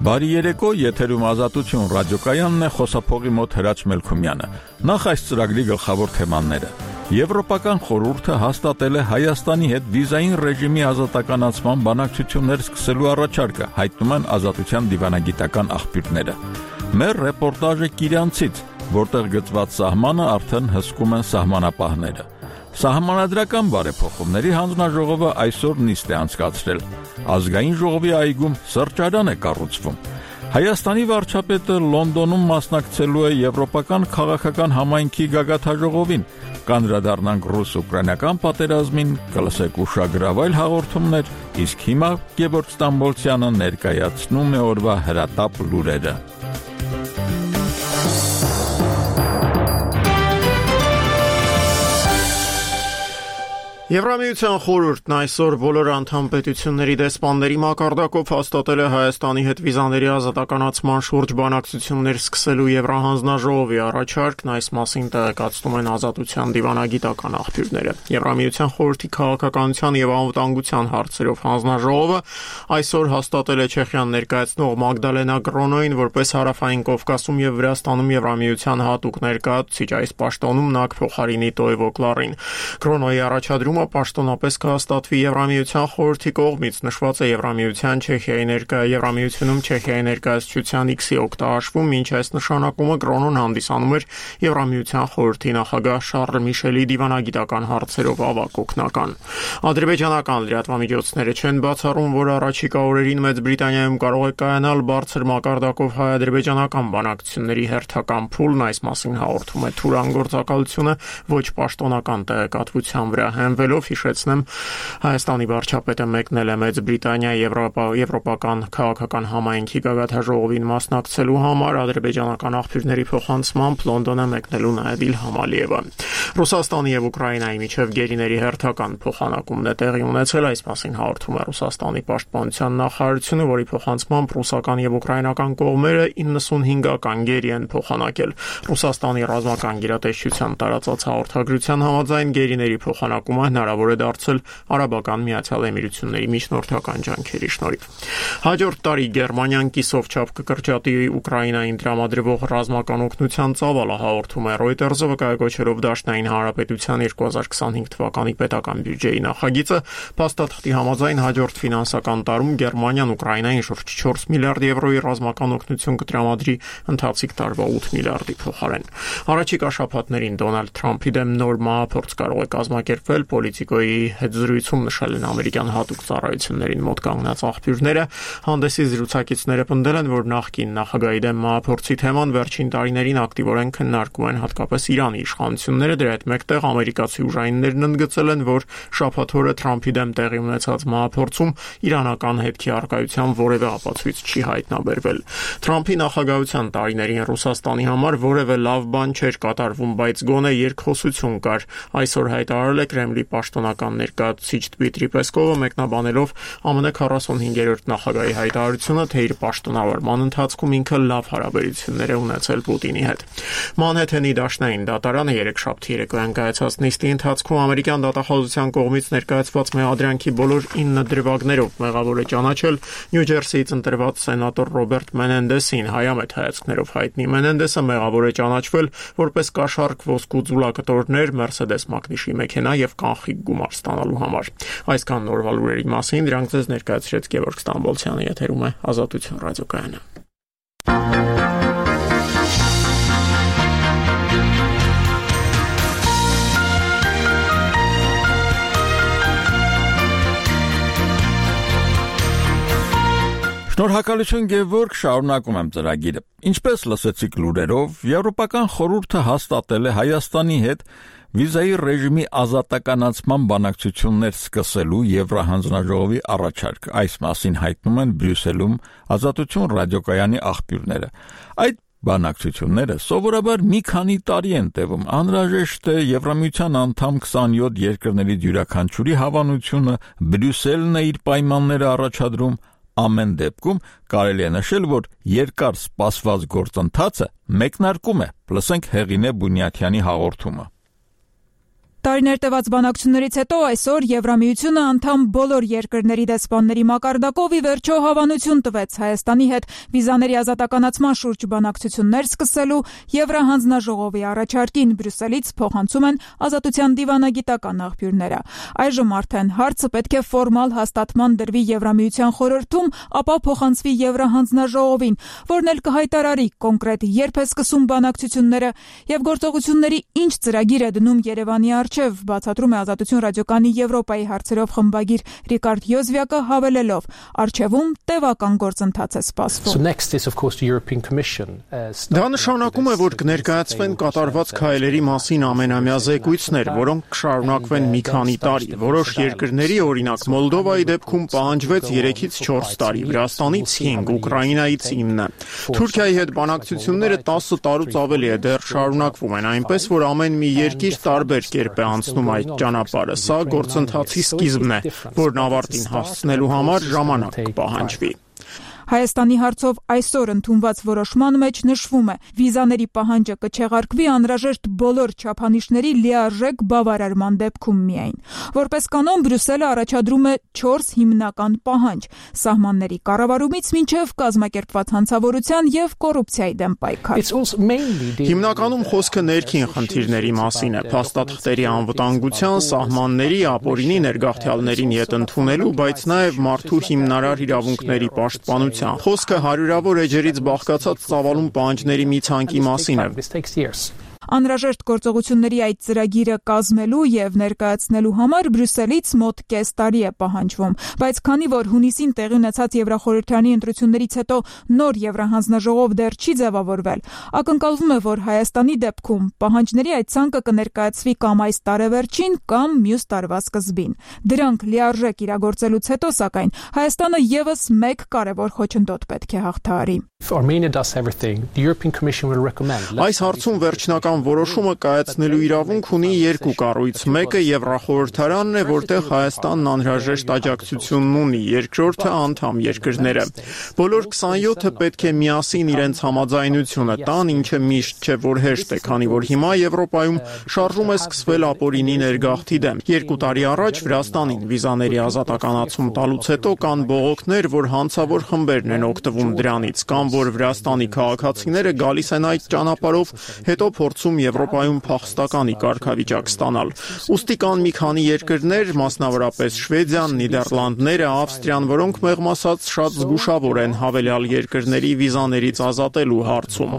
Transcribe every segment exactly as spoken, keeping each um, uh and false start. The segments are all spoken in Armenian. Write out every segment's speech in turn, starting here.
Բարի երեկո, եթերում Ազատություն ռադիոկայանն է, խոսափողի մոտ Հրաչ Մելքումյանը։ Նախ այս ծրագրի գլխավոր թեմաները։ Եվրոպական խորհուրդը հաստատել է Հայաստանի հետ վիզային ռեժիմի ազատականացման բանակցություններ սկսելու առաջարկը, հայտնում են Ազատության դիվանագիտական աղբյուրները։ Մեր ռեպորտաժը Կիրանցից, որտեղ գծված սահմանը արդեն հսկում են սահմանապահները։ Սահմանադրական բարեփոխումների հանձնաժողովը այսօր նիստ է անցկացրել։ Ազգային ժողովի այգում սրճարան է կառուցվում։ Հայաստանի վարչապետը Լոնդոնում մասնակցելու է եվրոպական քաղաքական համայնքի գագաթաժողովին։ Կանդրադառնանք ռուս-ուկրաինական պատերազմին, կլսեք ուշագրավ այլ հաղորդումներ, իսկ հիմա Գևորգ Ստամբոլցյանը ներկայացնում է օրվա հրատապ լուրերը։ Եվրամիության խորհուրդն այսօր բոլոր անդամ պետությունների դեսպանների մակարդակով հաստատել է Հայաստանի հետ վիզաների ազատականացման շուրջ բանակցություններ սկսելու Եվրահանձնաժողովի առաջարկն, այս մասին տեղեկացնում են Ազատության դիվանագիտական աղբյուրները։ Եվրամիության խորհրդի քաղաքականության եւ անվտանգության հարցերով հանձնաժողովը այսօր հաստատել է Չեխիան ներկայացնող Մագդալենա Գրոնոին որպես Հարավային Կովկասում եւ Վրաստանում Եվրամիության հատուկ ներկայացուցիչ, այս պաշտոնում նա կփոխարինի Տոևո Կլարին։ Գրոնոյի առաջադրումը պաշտոնապես կհաստատվի Եվրամիության խորհրդի կողմից, նշված է Եվրամիության Չեխիայի ներկայ Եվրամիությունում Չեխիայի ներկայացուցչության X-ի օգտահաշվում, ինչ այս նշանակումը Գրոնոն հանդիսանում էր Եվրամիության խորհրդի նախագահ Շարլ Միշելի դիվանագիտական հարցերով ավագ օգնական։ Ադրբեջանական լրատվամիջոցները չեն բացառում, որ առաջիկա օրերին Մեծ Բրիտանիայում կարող է կայանալ բարձր մակարդակով հայ-ադրբեջանական բանակցությունների հերթական փուլն, այս մասին հաղորդում է Թուրան գործակալությունը ոչ պաշտոնական տեղեկատվության վրա հենվելով, հիշեցնեմ, Հայաստանի վարչապետը մեկնել է Մեծ Բրիտանիա Եվրոպա Եվրոպական քաղաքական համայնքի գագաթաժողովին մասնակցելու համար, ադրբեջանական աղբյուրների փոխանցմամբ Լոնդոն է մեկնելու նաև Իլհամ Ալիևը։ Ռուսաստանի եւ Ուկրաինայի միջև գերիների հերթական փոխանակումն է տեղի ունեցել, այս մասին հաղորդում է Ռուսաստանի պաշտպանության նախարարությունը, որի փոխանցմամբ ռուսական եւ ուկրաինական կողմերը իննսունհինգական գերի են փոխանակել։ Ռուսաստանի ռազմական գերատեսչության տարածած հաղորդագրության համաձայն գերիների փոխանակումը հնարավոր է դարձել Արաբական Միացյալ Էմիրությունների միջնորդական ջանքերի շնորհիվ։ Հաջորդ տարի Գերմանիան կիսով չափ կկրճատի Ուկրաինային տրամադրվող ռազմական օգնության ծավալը, հաղորդում է Reuters-ը, վկայակոչելով Դաշնային Հանրապետության երկու հազար քսանհինգ թվականի պետական բյուջեի նախագիծը։ Փաստաթղթի համաձայն հաջորդ ֆինանսական տարում Գերմանիան Ուկրաինային շուրջ չորս միլիարդ եվրոյի ռազմական օգնություն կտրամադրի ընթացիկ տարվա ութ միլիարդի փոխարեն։ Առաջիկա շաբաթներին Դոնալդ Թրամփի դեմ նոր մահափորձ կարող է կազմակերպվել, Պոլիտիկոյի հետ զրույցում նշել են ամերիկյան հատուկ ծառայություններին մոտ կանգնած աղբյուրները։ Հանդեսի զրուցակիցները պնդել են, որ նախկին նախագահի դեմ մահափորձի թեման վերջին տարիներին ակտիվորեն քննարկում են հատկապես Իրանի իշխանությունները, դրա հետ մեկտեղ ամերիկացի ուժայիններն ընդգծել են, որ շաբաթ օրը Թրամփի դեմ տեղի ունեցած մահափորձում իրանական հետքի առկայության որևէ ապացույց չի հայտնաբերվել։ Թրամփի նախագահության տարիներին Ռուսաստանի համար որևէ լավ բան չէր կատարվում, բայց գոնե երկխոսություն կար։ Այսօր հայտարարել է Կրեմլի պաշտոնական ներկայացուցիչ Դմիտրի Պեսկովը, մեկնաբանելով ԱՄՆ քառասունհինգերորդ նախագահի հայտարարությունը, թե իր պաշտոնավարման ընթացքում ինքը լավ հարաբերություններ է ունեցել Պուտինի հետ։ Մանհեթենի դաշնային դատարանը երեքշաբթի երեկոյան կայացած նիստի ընթացքում ամերիկյան դատախազության կողմից ներկայացված մեղադրանքի բոլոր ինը դրվագներով մեղավոր է ճանաչել Նյու Ջերսիից ընտրված սենատոր Ռոբերտ Մենենդեսին։ Հայամետ հայացքներով հայտնի Մենենդեսը մեղավոր է ճանաչվել որպես կաշառք ոսկու ձուլակտորներ, Mercedes Magnus-ի մեքենա եւ կանխիկ գումար ստանալու համար։ Այսքան նորվա լուրերի մասին դրանք ձեզ ներկայացրեց Գևորգ Ստամբոլցյանը, եթերում է Ազատություն ռադիոկայանը։ Շնորհակալություն Գևորգ, շարունակում եմ ծրագիրը։ Ինչպես լսեցիք լուրերով, Եվրոպական խորհուրդը հաստատել է Հայաստանի հետ վիզայի ռեժիմի ազատականացման բանակցություններ սկսելու Եվրահանձնաժողովի առաջարկ։ Այս մասին հայտնում են Բրյուսելում Ազատություն ռադիոկայանի աղբյուրները։ Այդ բանակցությունները սովորաբար մի քանի տարի են տևում։ Անհրաժեշտ է Եվրամիության անդամ քսանյոթ երկրներից յուրաքանչյուրի հավանությունը, Բրյուսելն է իր պայմանները առաջադրում։ Ամեն դեպքում կարելի է նշել, որ երկար սպասված գործընթացը մեկնարկում է։ Լսենք Հեղինե Բունյաթյանի հաղորդումը։ Տարիներ տևած բանակցություններից հետո այսօր Եվրամիությունը անդամ բոլոր երկրների դեսպանների մակարդակով ի վերջո հավանություն տվեց Հայաստանի հետ վիզաների ազատականացման շուրջ բանակցություններ սկսելու Եվրահանձնաժողովի առաջարկին Բրյուսելից փոխանցում են Ազատության դիվանագիտական աղբյուրները։ Այժմ արդեն հարցը պետք է ֆորմալ հաստատման դրվի Եվրամիության խորհրդում, ապա փոխանցվի Եվրահանձնաժողովին, որն էլ կհայտարարի կոնկրետ երբ է սկսում բանակցությունները եւ գործողությունների ինչ ծրագիր է դնում Երևանի առջև, բացատրում է Ազատություն ռադիոկայանի Եվրոպայի հարցերով խմբագիր Ռիկարդ Յոզվյակը հավելելով, առջևում տևական գործընթաց է սպասվում։ Դա նշանակում է, որ կներկայացվեն կատարված քայլերի մասին ամենամյա զեկույցներ, որոնք կշարունակվեն մի քանի տարի։ Որոշ երկրների, օրինակ Մոլդովայի դեպքում պահանջվեց երեքից չորս տարի, Վրաստանից հինգ, Ուկրաինայից ինը։ Թուրքիայի հետ բանակցությունները տասը տարուց ավելի է դեռ շարունակվում են, այնպես որ ամեն մի երկիր տարբեր կերպ է անցնում այդ ճանապարհը։ Սա գործընթացի սկիզբն է, որն ավարտին հասցնելու համար ժամանակ կպահանջվի։ Հայաստանի հարցով այսօր ընդունված որոշման մեջ նշվում է, վիզաների պահանջը կչեղարկվի անհրաժեշտ բոլոր չափանիշների լիարժեք բավարարման դեպքում միայն։ Որպես կանոն Բրյուսելը առաջադրում է չորս հիմնական պահանջ՝ սահմանների կառավարումից մինչև կազմակերպված հանցավորության եւ կոռուպցիայի դեմ պայքար։ Հիմնականում խոսքը ներքին խնդիրների մասին է՝ փաստաթղթերի անվտանգության, սահմանների, ապօրինի ներգաղթյալներին ետ ընդունելու, բայց նաեւ մարդու հիմնարար իրավունքների պաշտպանության։ Խոսքը հարյուրավոր էջերից բաղկացած ծավալուն պահանջների մի ցանկի մասին է։ Անհրաժեշտ գործողությունների այդ ծրագիրը կազմելու եւ ներկայացնելու համար Բրյուսելից մոտ կես տարի է պահանջվում, բայց քանի որ հունիսին տեղի ունեցած Եվրախորհրդարանի ընտրություններից հետո նոր Եվրահանձնաժողով դեռ չի ձևավորվել, ակնկալվում է, որ Հայաստանի դեպքում պահանջների այդ ցանկը կներկայացվի կամ այս տարեվերջին կամ մյուս տարվա սկզբին։ Դրանք լիարժեք իրագործելուց հետո, սակայն, Հայաստանը եւս մեկ կարևոր խոչընդոտ պետք է հաղթահարի։ Այս հարցում վերջնական որոշումը կայացնելու իրավունք ունի երկու կառույց։ Մեկը Եվրախորհրդարանն է, որտեղ Հայաստանն անհրաժեշտ աջակցությունն ունի, երկրորդը անդամ երկրները։ Բոլոր քսանյոթը պետք է միասին իրենց համաձայնությունը տան, ինչը միշտ չէ որ հեշտ է, քանի որ հիմա Եվրոպայում շարժում է սկսվել ապօրինի ներգաղթի դեմ։ Երկու տարի առաջ Վրաստանին վիզաների ազատականացում տալուց հետո կան բողոքներ, որ հանցավոր խմբերն են օգտվում դրանից, կամ որ Վրաստանի քաղաքացիները գալիս են այդ ճանապարհով, հետո փորձում Եվրոպայում փախստականի կարգավիճակ ստանալ։ Ուստի կան մի քանի երկրներ, մասնավորապես Շվեդիան, Նիդերլանդները, Ավստրիան, որոնք մեղմ ասած շատ զգուշավոր են հավելյալ երկրների վիզաներից ազատելու հարցում։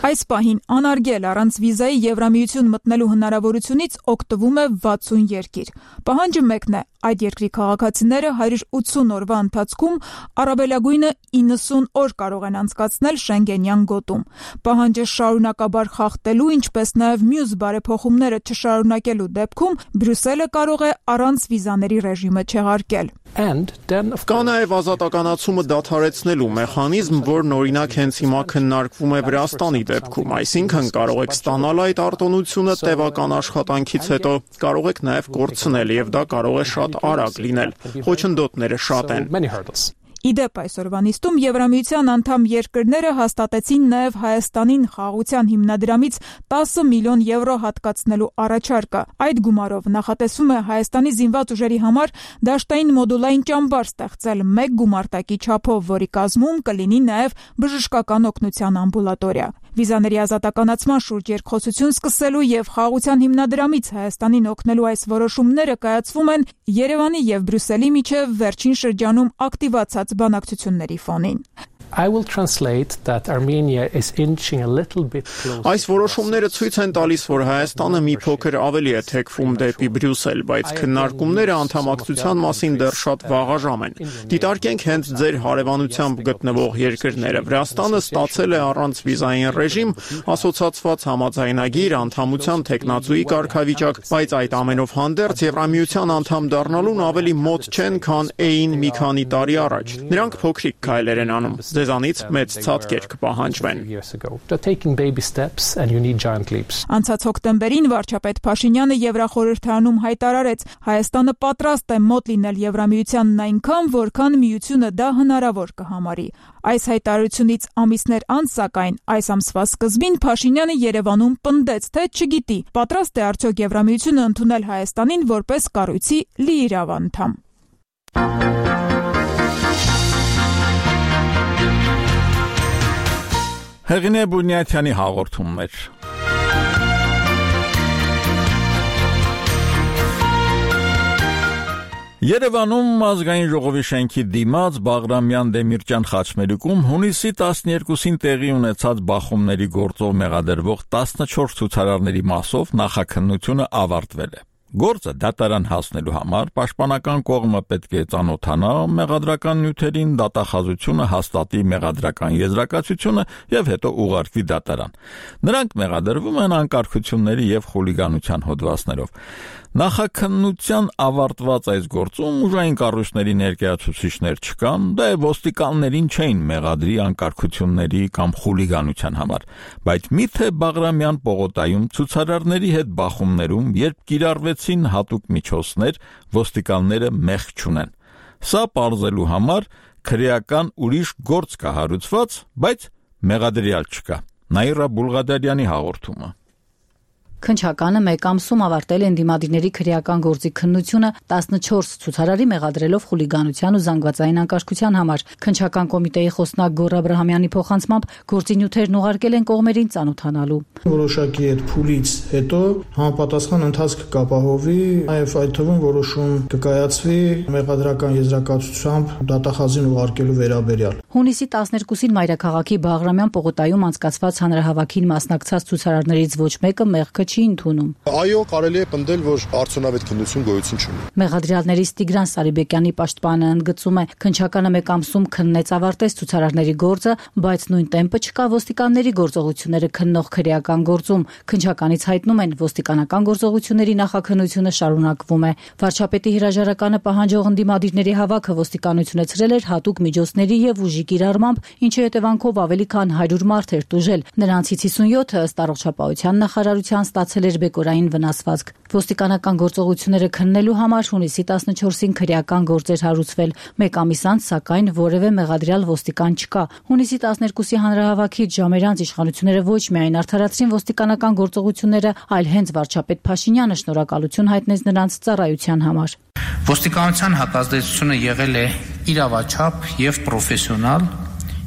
Այս պահին անարգել առանց վիզայի Եվրամիություն մտնելու հնարավորությունից օգտվում է վաթսուն երկիր։ Պահանջը մեկն է՝ այդ երկրի քաղաքացիները հարյուր ութսուն օրվա ընթացքում առավելագույնը իննսուն օր կարող են անցկացնել Շենգենյան գոտում։ Պահանջը շարունակաբար խախտելու, ինչպես նաև մյուս բարեփոխումները չշարունակելու դեպքում Բրյուսելը կարող է առանց վիզաների ռեժիմը չեղարկել։ Կա նաև ազատականացումը դադարեցնելու մեխանիզմ, որն օրինակ հենց հիմա քննարկվում է Վրաստանի դեպքում, այսինքն կարող եք ստանալ այդ արտոնությունը տևական աշխատանքից հետո, կարող եք նաև կորցնել, եւ դա կարող է շատ արագ լինել։ Խոչընդոտները շատ են։ Իդեպ այսօրվա նիստում Եվրամիության անդամ երկրները հաստատեցին նաև Հայաստանին խաղաղության հիմնադրամից տասը միլիոն եվրո հատկացնելու առաջարկը։ Այդ գումարով նախատեսվում է Հայաստանի զինված ուժերի համար դաշտային մոդուլային ճամբար ստեղծել մեկ գումարտակի չափով, որի կազմում կլինի նաև բժշկական օգնության ամբուլատորիա։ Վիզաների ազատականացման շուրջ երկխոսություն սկսելու եւ խաղաղության հիմնադրամից Հայաստանին օգնելու այս որոշումները կայացվում են Երևանի եւ Բրյուսելի միջև վերջին շրջանում ակտիվացած բանակցությունների ֆոնին։ I will translate that Armenia is inching a little bit closer. Այս որոշումները ցույց են տալիս, որ Հայաստանը մի փոքր ավելի է թեքվում դեպի Բրյուսել, բայց քննարկումները անդամակցության մասին դեռ շատ վաղաժամ են։ Դիտարկենք հենց ձեր հարևանությամբ գտնվող երկրները։ Վրաստանը ստացել է առանց վիզային ռեժիմ, ասոցացված համաձայնագիր, անդամության թեկնածուի կարգավիճակ, բայց այդ ամենով հանդերձ Եվրամիության անդամ դառնալուն ավելի մոտ չեն, քան էին մի քանի տարի առաջ։ Նրանք փոքրիկ քայլեր են անում։ ձեզանից մեծ ցածկեր կպահանջվեն։ Անցած հոկտեմբերին վարչապետ Փաշինյանը Եվրախորհրդարանում հայտարարեց, Հայաստանը պատրաստ է մոտ լինել Եվրամիությանն այնքան, որքան միությունը դա հնարավոր կհամարի։ Այս հայտարարությունից ամիսներ անց, սակայն, այս ամսվա սկզբին Փաշինյանը Երևանում պնդեց, թե չգիտի, պատրաստ է արդյոք Եվրամիությունը ընդունել Հայաստանին որպես կառույցի լիիրավ անդամ։ Հեղինե Բունյաթյանի հաղորդումներ։ Երևանում ազգային ժողովի շենքի դիմաց Բաղրամյան Դեմիրճյան խաչմերուկում հունիսի տասներկուսին տեղի ունեցած բախումների գործով մեղադրվող տասնչորս ցուցարարների մասով նախաքննությունը ավարտվել է։ Գործը դատարան հասնելու համար պաշտպանական կողմը պետք է ծանոթանա մեղադրական նյութերին, դատախազությունը հաստատի մեղադրական եզրակացությունը եւ հետո ուղարկվի դատարան։ Նրանք մեղադրվում են անկարգությունների եւ խուլիգանության հոդվածներով։ Նախաքննության ավարտված այս գործում ուժային կառույցների ներկայացուցիչներ չկան, դա է ոստիկաններին չէին մեղադրի անկարգությունների կամ խուլիգանության համար, բայց միթե Բաղրամյան պողոտայում ցուցարարների հետ բախումներում, երբ կիրառվեցին հատուկ միջոցներ, ոստիկանները մեղք չունեն։ Սա պարզելու համար քրեական ուրիշ գործ կա հարուցված, բայց մեղադրյալ չկա։ Նաիրա Բուլղադարյանի հաղորդումը։ Քննչականը մեկ ամսում ավարտել է ընդդիմադիրների քրեական գործի քննությունը տասնչորս ցուցարարի մեղադրելով խուլիգանության ու զանգվածային անկարգության համար։ Քննչական կոմիտեի խոսնակ Գոռ Աբրահամյանի փոխանցմամբ գործի նյութերն ուղարկել են կողմերին ծանոթանալու։ Որոշակի այդ փուլից հետո համապատասխան ընթացք կապահովի, նաև այդ թվում որոշում կկայացվի մեղադրական եզրակացությամբ դատախազին ուղարկելու վերաբերյալ։ Հունիսի տասներկուսին Մայրաքաղաքի Բաղրամյան պողոտայում անցկացված հանրահավաքին մասնակցած ցուցարարներից ոչ մեկը մեղքը չի ընդունում։ Այո, կարելի է պնդել, որ արդյունավետ քննություն գոյություն չունի։ Մեղադրյալներից Տիգրան Սարիբեկյանի պաշտպանը ընդգծում է, քննչականը մեկ ամսում քննեց ավարտեց ցուցարարների գործը, բայց նույն տեմպը չկա ոստիկանների գործողությունները քննող քրեական գործում։ Քննչականից հայտնում են, ոստիկանական գործողությունների նախաքննությունը շարունակվում է։ Վարչապետի հրաժարականը պահանջող ընդդիմադիրների հավաքը ոստիկանությունը ցրել էր հատուկ միջոցների եւ ուժի կիրառմամբ, ինչի հետևանքով ավելի քան հարյուր մարդ էր տուժել։ Նրանցից հիսունյոթը ըստ առողջապահության նախարարության ստացել էր բեկորային վնասվածք։ Ոստիկանական գործողությունները քննելու համար հունիսի տասնչորսին քրեական գործ էր հարուցվել։ Մեկ ամիս անց, սակայն, որևէ մեղադրյալ ոստիկան չկա։ Հունիսի տասներկուսի հանրահավաքից ժամեր անց իշխանությունները ոչ միայն արդարացրին ոստիկանական գործողությունները, այլ հենց վարչապետ Փաշինյանը շնորհակալություն հայտնեց նրանց ծառայության համար։ Ոստիկանության հակազդեցությունը եղել է իրավաչափ եւ պրոֆեսիոնալ,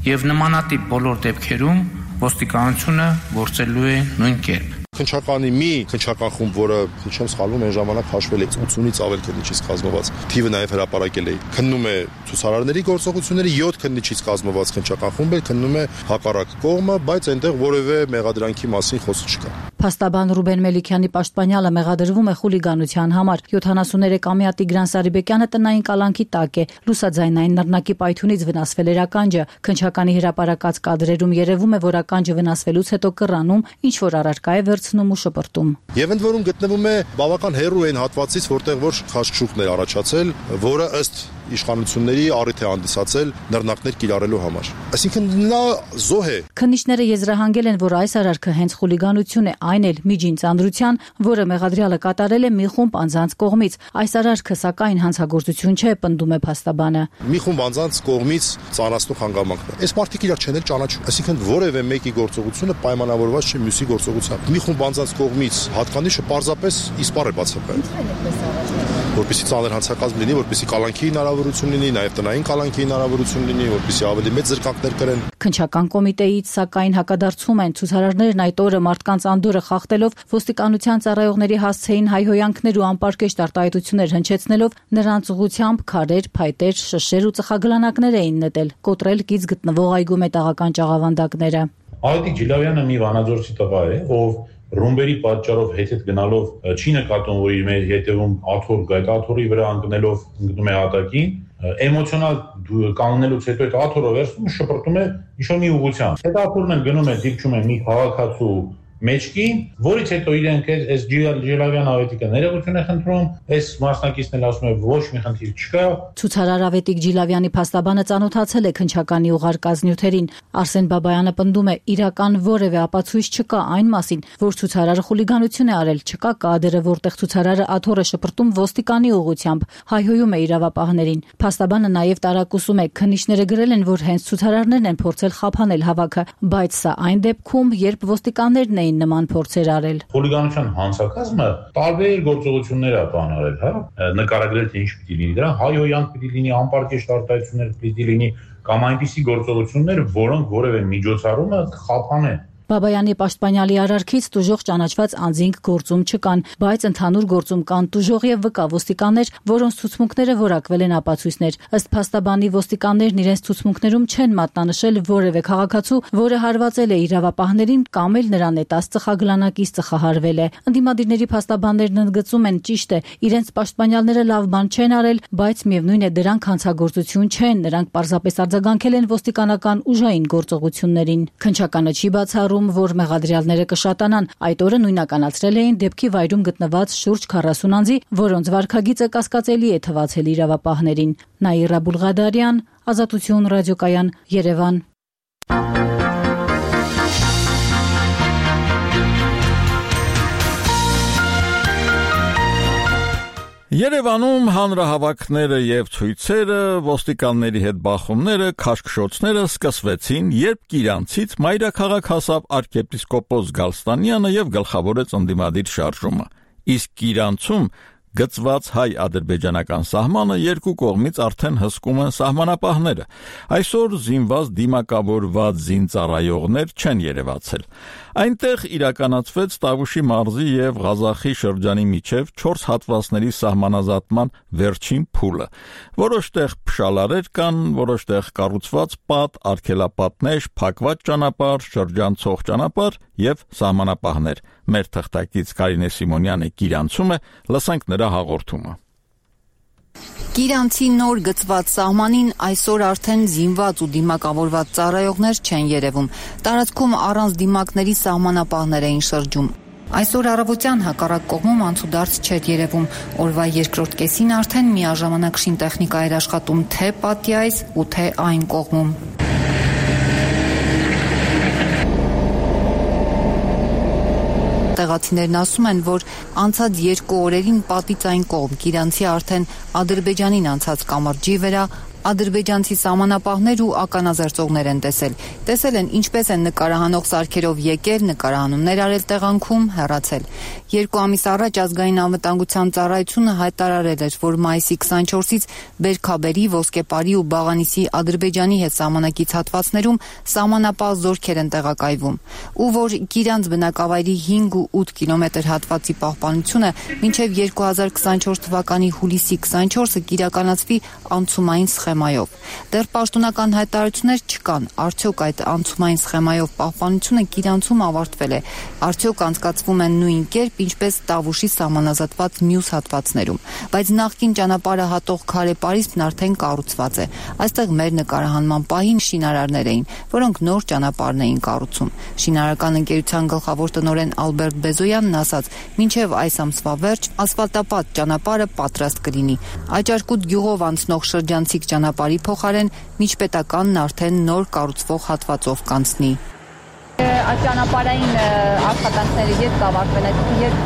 եւ նմանատիպ բոլոր դեպքերում ոստիկանությունը գործելու է նույն կերպ։ Քննչականի մի քննչական խումբ, որը չեմ սխալվում, այն ժամանակ հաշվել է ութունից ավել քննիչից կազմված, թիվը նաև հրապարակել է։ Քննում է ցուցարարների գործողությունների յոթ քննիչից կազմված քննչական խումբ է, քննում է հակառակ կողմը, բայց այնտեղ որևէ մեղադրանքի մասին խոսք չկա։ Փաստաբան Ռուբեն Մելիքյանի պաշտպանյալը մեղադրվում է խուլիգանության համար։ յոթանասուներեքամյա Տիգրան Սարիբեկյանը տնային կալանքի տակ է։ Լուսաձայնային նռնակի պայթյունից վնասվել էր ականջը։ Քննչականի հրապարակած կադրերում երևում է, որ ականջը վնասվելուց հետո կռանում, ինչ որ առարկա է վերցնում ու շպրտում։ Եվ ընդ որում գտնվում է բավական հեռու այն հատվածից, որտեղ որ խաչճուղն էր առաջացել, որը ըստ իշխանությունների առիթ է հանդիսացել նռնակներ կիրառելու համար։ Այսինքն նա զոհ է։ Քննիչները եզրահանգել են, որ այս արարքը հենց խուլիգանություն է, այն էլ միջին ծանրության, որը մեղադրյալը կատարել է մի խումբ անձանց կողմից։ Այս արարքը սակայն հանցագործություն չէ, պնդում է փաստաբանը։ Մի խումբ անձանց կողմից ծանրացնող հանգամանքն է։ Այս մարդիկ իրար չեն էլ ճանաչում։ Այսինքն որևէ մեկի գործողությունը պայմանավորված չէ մյուսի գործողությամբ։ Մի խումբ անձանց կողմից հատկանիշը պարզապես իսպառ է բացակայել։ Որպեսզի ծանր հանցակազմ լինի, որպեսզի կալանքի հնարավորություն լինի, նաև տնային կալանքի հնարավորություն լինի, որպեսզի ավելի մեծ զրկանքներ կրեն։ Քննչական կոմիտեից սակայն հակադարձում են, ցուցարարներն այդ օրը մարդկանց անդորը խախտելով ոստիկանության ծառայողների հասցեին հայհոյանքներ ու անպարկեշտ արտահայտություններ հնչեցնելով նրանց ուղությամբ քարեր, փայտեր, շշեր ու ծխագլանակներ էին նետել, կոտրել կից գտնվող այգու մետաղական ճաղավանդակները։ Այդիկ Ջիլավյանը մի վանաձորցի տղա է, ով ռումբերի պատճառով հետ-հետ գնալով չի նկատում, որ իր մեր հետևում աթոռ գա, այդ աթոռի վրա ընկնելով ընկնում է հատակին, էմոցիոնալ կանգնելուց հետո այդ աթոռը վերցնում ու շպրտում է ինչ-որ մի ուղղությամբ։ Այդ աթոռն էլ գնում է դիպչում է մի քաղաքացու մեջքին, որից հետո իրենք այս Ջիլավյան ավետիքը ներողություն է խնդրում, այս մասնակիցն էլ ասում է ոչ մի խնդիր չկա։ Ցուցարար Ավետիք Ջիլավյանի փաստաբանը ծանոթացել է քննչականի ուղարկած նյութերին։ Արսեն Բաբայանը պնդում է, իրական որևէ ապացույց չկա այն մասին, որ ցուցարարը խուլիգանություն է արել, չկա կադրը, որտեղ ցուցարարը աթոռ է շպրտում ոստիկանի ուղղությամբ, հայհոյում է իրավապահներին։ Փաստաբանը նաև տարակուսում է, քննիչները գրել են, որ հենց ցուցարարներն են փորձել խափանել հավաքը, բայց սա այն դեպքում, երբ ոստիկաններն էին նման փորձեր արել։ Խուլիգանության հանցակազմը տարբեր գործողություններ է բանարել, հա, նկարագրել թե ինչ պիտի լինի դրա, հայհոյանք պիտի լինի, անպարկեշտ արտահայտություններ պիտի լինի, կամ այնպիսի գործողություններ, որոնք որևէ միջոցառումը կխափանեն։ Բաբայանի պաշտպանյալի արարքից տուժող ճանաչված անձինք գործում չկան, բայց ընդհանուր գործում կան տուժող եւ վկա ոստիկաններ, որոնց ցուցմունքները որակվել են ապացույցներ։ Ըստ փաստաբանի ոստիկաններն իրենց ցուցմունքներում չեն մատնանշել որևէ քաղաքացու, որը հարվածել է իրավապահներին կամ էլ նրան նետած ծխագլանակից ծխահարվել է։ Ընդդիմադիրների փաստաբաններն ընդգծում են, ճիշտ է, իրենց պաշտպանյալները լավ բան չեն արել, բայց միևնույն է դրանք հանցագործություն չեն, նրանք պարզապես արձագանքել են ոստիկանական ուժային գործողություններին։ Քննչականը չի բացառում, որ մեղադրյալները կշատանան։ Այդ օրը նույնականացրել էին դեպքի վայրում գտնված շուրջ քառասուն անձի, որոնց վարքագիծը կասկածելի է թվացել իրավապահներին։ Նաիրա Բուլղադարյան, Ազատություն ռադիոկայան, Երևան։ Երևանում հանրահավաքները եւ ցույցերը, ոստիկանների հետ բախումները, քաշքշոցները սկսվեցին, երբ Կիրանցից մայրաքաղաք հասավ arczepiskopos Գալստանյանը եւ գլխավորեց ընդդիմադիր շարժումը։ Իսկ Կիրանցում գծված հայ-ադրբեջանական սահմանը երկու կողմից արդեն հսկում են սահմանապահները։ Այսօր զինված դիմակավորված զինծառայողներ չեն երևացել։ Այնտեղ իրականացվեց Տավուշի մարզի եւ Ղազախի շրջանի միջև չորս հատվածների սահմանազատման վերջին փուլը։ Որոշ տեղ փշալարեր կան, որոշ տեղ կառուցված պատ, արգելապատներ, փակված ճանապարհ, շրջանցող ճանապարհ եւ սահմանապահներ։ Մեր թղթակից Կարինե Սիմոնյանը Կիրանցում է, լսենք նրա հաղորդումը։ Կիրանցի նոր գծված սահմանին այսօր արդեն զինված ու դիմակավորված ծառայողներ չեն երևում։ Տարածքում առանց դիմակների սահմանապահներ էին շրջում։ Այսօր առավոտյան հակառակ կողմում անցուդարձ չէր երևում։ Օրվա երկրորդ կեսին արդեն միաժամանակ շինտեխնիկա էր աշխատում թե պատի այս ու թե այն կողմում։ Տեղացիներն ասում են, որ անցած երկու օրերին պատից այն կողմ Կիրանցի արդեն Ադրբեջանին անցած կամրջի վրա ադրբեջանցի սահմանապահներ ու ականազերծողներ են տեսել։ Տեսել են ինչպես են նկարահանող սարքերով եկել, նկարահանումներ արել տեղանքում, հեռացել։ Երկու ամիս առաջ ազգային անվտանգության ծառայությունը հայտարարել էր, որ մայիսի քսանչորսից Բերքաբերի, Ոսկեպարի ու Բաղանիսի Ադրբեջանի հետ սահմանակից հատվածներում սահմանապահ զորքեր են տեղակայվում, ու որ Կիրանց բնակավայրի հինգ ու ութ կիլոմետր հատվածի պահպանությունը մինչև երկու հազար քսանչորս թվականի հուլիսի քսանչորսը կիրականացվի անցումային սխեմայով։ Դեռ պաշտոնական հայտարարություններ չկան, արդյոք այդ անցումային սխեմայով պահպանությունը Կիրանցում ավարտվել է, արդյոք անցկացվում են նույն կերպ, ինչպես Տավուշի սահմանազատված մյուս հատվածներում, բայց նախկին ճանապարհը հատող քարե պարիսպն արդեն կառուցված է։ Այստեղ մեր նկարահանման պահին շինարարներ էին, որոնք նոր ճանապարհն էին կառուցում։ Շինարարական ընկերության գլխավոր տնօրեն Ալբերտ Բեզոյանն ասաց, մինչև այս ամսվա վերջ ասֆալտապատ ճանապարհը պատրաստ կլինի։ Աճարկուտ գյուղով անցնող շրջանցիկ ճանապարհի փոխարեն միջպետականն արդեն նոր կառուցվող հատվածով կանցնի։ Ճանապարհային աշխատանքները երբ կավարտվեն, երբ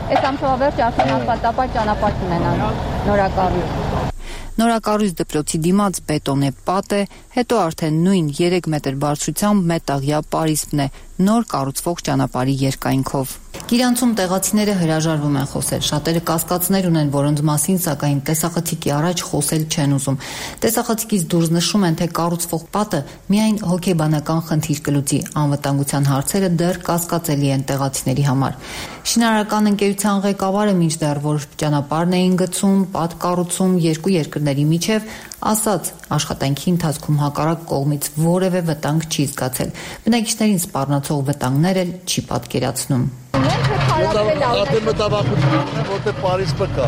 այս ամսվա վերջ արդեն ասֆալտապատ ճանապարհ կունենան, նորակառույց։ Նորակառույց դպրոցի դիմաց բետոնե պատ է, հետո արդեն նույն երեք մետր բարձրությամբ մետաղյա պարիսպն է, նոր կառուցվող ճանապարհի երկայնքով։ Կիրանցում տեղացիները հրաժարվում են խոսել, շատերը կասկածներ ունեն, որոնց մասին սակայն տեսախցիկի առաջ խոսել չեն ուզում։ Տեսախցիկից դուրս նշում են, թե կառուցվող պատը միայն հոգեբանական խնդիր կլուծի, անվտանգության հարցերը դեռ կասկածելի են տեղացիների համար։ Շինարարական ընկերության ղեկավարը մինչդեռ որ ճանապարհն էին գծում, պատ կառուցում երկու երկրների միջև, ասաց, աշխատանքի ընթացքում հակառակ կողմից որևէ վտանգ չի զգացել։ Բնակիչներին սպառնացող վտանգներ էլ չի պատկերացնում։ Արդեն մտավախություն է, որտեղ պարիսպը կա։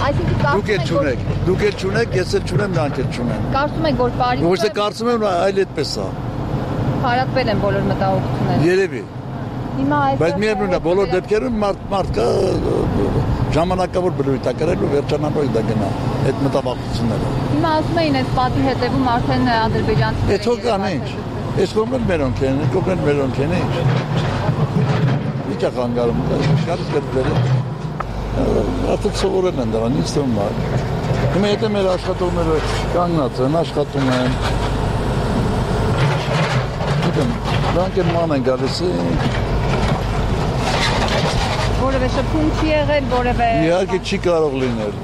Դուք էլ չունեք, դուք էլ չունեք, ես էլ չունեմ, նրանք էլ չունեն։ Կարծում եք, որ պարիսպը։ Ոչ թե կարծում եմ, այլ այդպես է։ Հարատվել են բոլոր մտահոգությունները։ Երևի։ Հիմա այս Բայց միևնույն է, բոլոր դեպքերում մարդ մարդկա ժամանակավոր բնույթ է կրել ու վերջանալու է դա գնա այդ մտավախությունները։ Հիմա ասում էին այս պատի հետևում արդեն ադրբեջանցիներ։ Էթո կան ինչ։ Այս կողմն մերոնք են, կողմն մերոնք են ինչ։ Ինչ է կանգարում, գալիս գտել։ Արդեն սովորել են դրան, ինձ թվում է։ Հիմա եթե մեր աշխատողները կանգնած են, աշխատում են։ Գիտեմ, դրանք են ման են գալիս։ Որևէ շփում չի եղել, որևէ Իհարկե չի կարող լինել։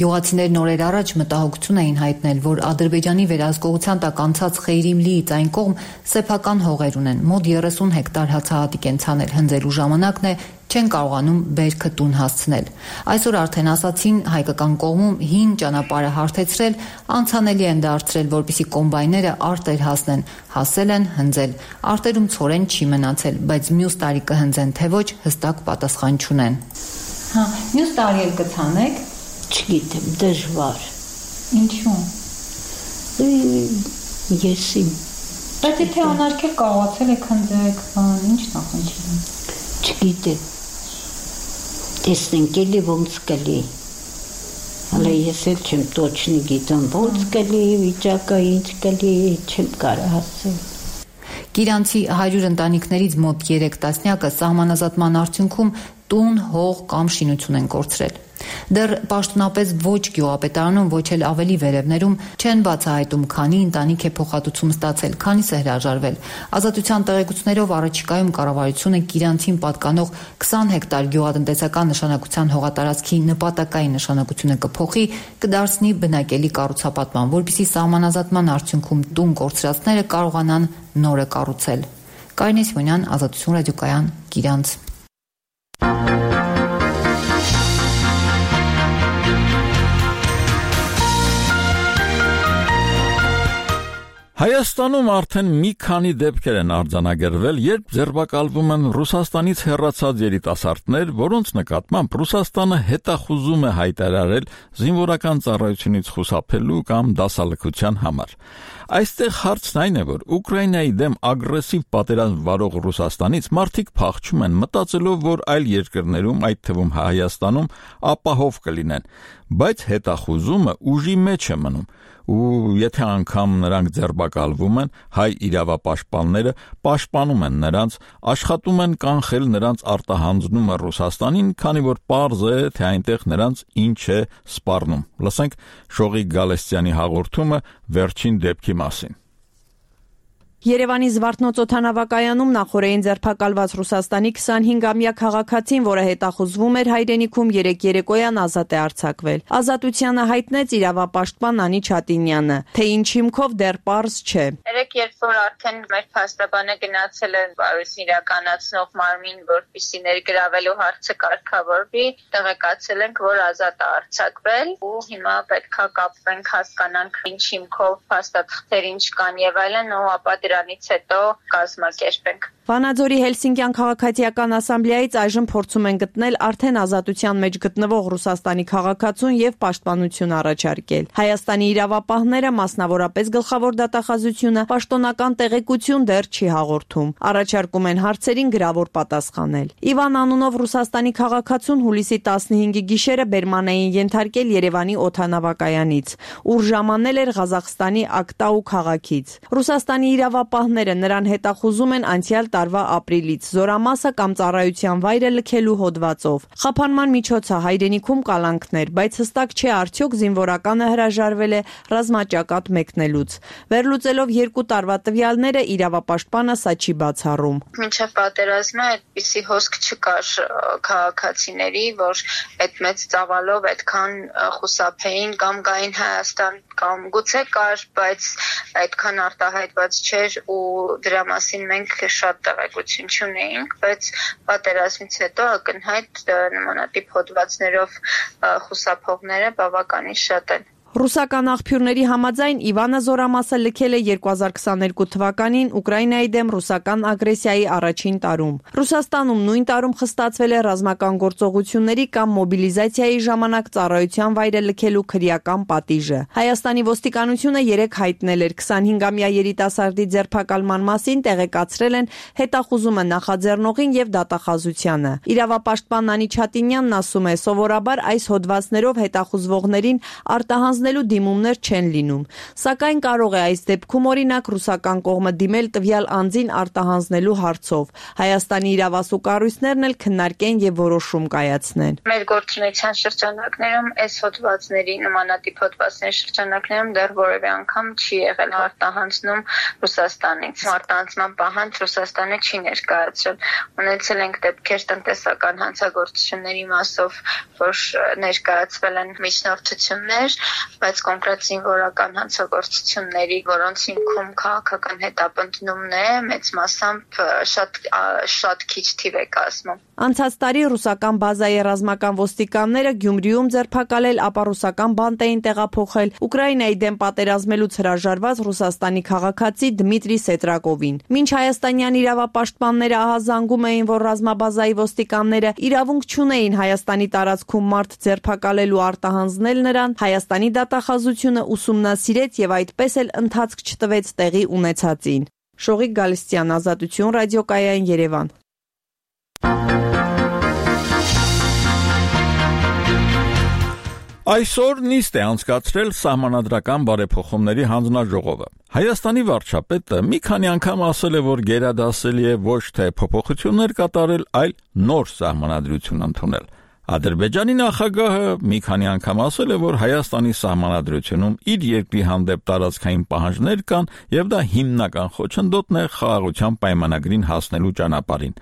Գյուղացիներն օրեր առաջ մտահոգություն էին հայտնել, որ Ադրբեջանի վերահսկողության տակ անցած Խեյրիմլիից այն կողմ սեփական հողեր ունեն, մոտ երեսուն հեկտար հացահատիկ են ցանել, հնձելու ժամանակն է, չեն կարողանում բերքը տուն հասցնել։ Այսօր արդեն ասացին հայկական կողմում հին ճանապարհը հարթեցրել, անցանելի են դարձրել, որպեսզի կոմբայները արտեր հասնեն, հասել են հնձել։ Արտերում ցորեն չի մնացել, բայց մյուս տարի կհնձեն թե ոչ, հստակ պատասխան չունեն։ Հա, մյուս տարի էլ կցանեք։ Չգիտեմ, դժվար։ Ինչու՞։ Եսի։ Բայց եթե անարգել կարողացել եք հնձեք, բան, ինչ նախընթիրն։ Չգիտեմ։ Տեսնենք էլի ոնց կլի։ Հələ ես էլ չեմ точно գիտեմ ոնց կլի, վիճակը ինչ կլի, չեմ կարող ասել։ Կիրանցի հարյուր ընտանիքներից մոտ երեք տասնյակը սահմանազատման արդյունքում տուն, հող կամ շինություն են կորցրել։ Դեռ պաշտոնապես ոչ գյուղապետարանում, ոչ էլ ավելի վերևներում չեն բացահայտում, քանի ընտանիք է փոխհատուցում ստացել, քանիսը հրաժարվել։ Ազատության տեղեկություններով առաջիկայում կառավարությունը Կիրանցին պատկանող քսան հեկտար գյուղատնտեսական նշանակության հողատարածքի նպատակային նշանակությունը կփոխի, կդարձնի բնակելի կառուցապատման, որպեսզի սահմանազատման արդյունքում տուն կորցրածները կարողանան նորը կառուցել։ Կարինե Սիմոնյան, Ազատություն ռադիոկայան, Կիրանց։ Հայաստանում արդեն մի քանի դեպքեր են արձանագրվել, երբ ձերբակալվում են Ռուսաստանից հեռացած երիտասարդներ, որոնց նկատմամբ Ռուսաստանը հետախուզում է հայտարարել զինվորական ծառայությունից խուսափելու կամ դասալքության համար։ Այստեղ հարցն այն է, որ Ուկրաինայի դեմ ագրեսիվ պատերազմ վարող Ռուսաստանից մարդիկ փախչում են, մտածելով, որ այլ երկրներում, այդ թվում Հայաստանում, ապահով կլինեն, բայց հետախուզումը ուժի մեջ է մնում։ Ու եթե անգամ նրանք ձերբակալվում են, հայ իրավապաշտպանները պաշտպանում են նրանց, աշխատում են կանխել նրանց արտահանձնումը Ռուսաստանին, քանի որ պարզ է, թե այնտեղ նրանց ինչ է սպառնում։ Լսենք Շողիկ Գալստյանի հաղորդումը վերջին դեպքի մասին։ Երևանի Զվարթնոց օդանավակայանում նախորդին ձերբակալված Ռուսաստանի քսանհինգամյա քաղաքացին, որը հետախուզվում էր հայրենիքում, երեկ երեկոյան ազատ է արձակվել։ Ազատությանը հայտնեց իրավապաշտպան Անի Չատինյանը, թե ինչ հիմքով դեռ պարզ չէ։ Երեկ երբ որ արդեն մեր փաստաբանը գնացել է բարույցն իրականացնող մարմին, որպեսզի ներգրավելու հարցը կարգավորվի, տեղեկացել ենք, որ ազատ է արձակվել ու հիմա պետքա կապվենք, հասկանանք ինչ հիմքով փաստաթղթեր ինչ կան եւ այլն, ու ապա դրանից հետո կազմակերպենք։ Վանաձորի Հելսինկյան քաղաքացիական ասամբլեայից այժմ փորձում են գտնել արդեն ազատության մեջ գտնվող Ռուսաստանի քաղաքացուն եւ պաշտպանություն առաջարկել։ Հայաստանի իրավապահները, մասնավորապես գլխավոր դատախազությունը, պաշտոնական տեղեկություն դեռ չի հաղորդում։ Առաջարկում են հարցերին գրավոր պատասխանել։ Իվան անունով Ռուսաստանի քաղաքացուն հուլիսի տասնհինգի գիշերը բերման էին ենթարկել Երևանի օդանավակայանից, ուր ժամանել էր Ղազախստանի Ակտաու քաղաքից։ Ռուսաստանի իրավապահները նրան հետախուզում են անցյալ տարվա ապրիլից, զորամասը կամ ծառայության վայրը լքելու հոդվածով։ Խափանման միջոցը հայրենիքում կալանքներ, բայց հստակ չէ արդյոք զինվորականը հրաժարվել է ռազմաճակատ մեկնելուց։ Վերլուծելով երկու տարվա տվյալները, իրավապաշտպանը սա չի բացառում։ Մինչև պատերազմը այդպիսի հոսք չկար քաղաքացիների, որ այդ մեծ ծավալով այդքան խուսափեին կամ գային Հայաստան, կամ գուցե կար, բայց այդքան արտահայտված չէր ու դրա մասին մենք շատ տեղեկություն չունեինք, բայց պատերազմից հետո ակնհայտ նմանատիպ հոդվածներով խուսափողները բավականին շատ են։ Ռուսական աղբյուրների համաձայն Իվանը զորամասը լքել է երկու հազար քսաներկու թվականին Ուկրաինայի դեմ ռուսական ագրեսիայի առաջին տարում։ Ռուսաստանում նույն տարում խստացվել է ռազմական գործողությունների կամ մոբիլիզացիայի ժամանակ ծառայության վայրը լքելու քրեական պատիժը։ Հայաստանի ոստիկանությունը երեկ հայտնել էր քսանհինգամյա երիտասարդի ձերբակալման մասին, տեղեկացրել են հետախուզումը նախաձեռնողին եւ դատախազությանը։ Իրավապաշտպան Անի Չատինյանն ասում է, սովորաբար այս հոդվածներով հետախուզվողներին արտահանձ դիմումներ չեն լինում, սակայն կարող է այս դեպքում օրինակ ռուսական կողմը դիմել տվյալ անձին արտահանձնելու հարցով։ Հայաստանի իրավասու կառույցներն էլ քննարկեն եւ որոշում կայացնեն։ Մեր գործունեության շրջանակներում այս հոդվածների նմանատիպ հոդվածների շրջանակներում դեռ որևէ անգամ չի եղել արտահանձնում Ռուսաստանից։ Արտահանձնման պահանջ Ռուսաստանը չի ներկայացրել։ Ունեցել ենք դեպքեր տնտեսական հանցագործությունների մասով, որ ներկայացվել են միջնորդություններ, բայց կոնկրետ զինվորական հանցագործությունների, որոնց հիմքում քաղաքական հետապնդումն է, մեծ մասամբ շատ շատ քիչ թիվ է կազմում։ Անցած տարի ռուսական բազայի ռազմական ոստիկանները Գյումրիում ձերբակալել, ապա ռուսական բանտ էին տեղափոխել Ուկրաինայի դեմ պատերազմելուց հրաժարված Ռուսաստանի քաղաքացի Դմիտրի Սետրակովին։ Մինչ հայաստանյան իրավապաշտպանները ահազանգում էին, որ ռազմաբազայի ոստիկանները իրավունք չունեին Հայաստանի տարածքում մարդ ձերբակալելու արտահանձնել նրան, Հայաստանի դատախազությունը ուսումնասիրեց եւ այդպես էլ ընթացք չտվեց տեղի ունեցածին։ Շողիկ Գալստյան, Ազատություն, ռադիոկայան, Երևան։ Այսօր նիստ է անցկացրել սահմանադրական բարեփոխումների հանձնաժողովը։ Հայաստանի վարչապետը մի քանի անգամ ասել է, որ գերադասելի է ոչ թե փոփոխություններ կատարել, այլ նոր սահմանադրություն ընդունել։ Ադրբեջանի նախագահը մի քանի անգամ ասել է, որ Հայաստանի սահմանադրությունում իր երկրի հանդեպ տարածքային պահանջներ կան եւ դա հիմնական խոչընդոտն է խաղաղության պայմանագրին հասնելու ճանապարհին։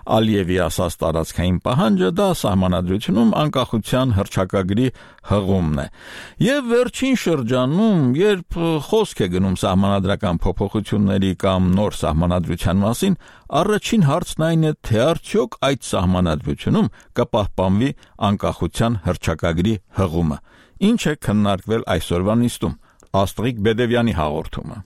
Ալիևի ասած տարածքային պահանջը դա սահմանադրությունում անկախության հռչակագրի հղումն է։ Եվ վերջին շրջանում, երբ խոսք է գնում սահմանադրական փոփոխությունների կամ նոր սահմանադրության մասին, առաջին հարցն այն է, թե արդյոք այդ սահմանադրությունում կպահպանվի անկախության հռչակագրի հղումը։ Ինչ է քննարկվել այսօրվա նիստում։ Աստղիկ Բեդևյանի հաղորդումը։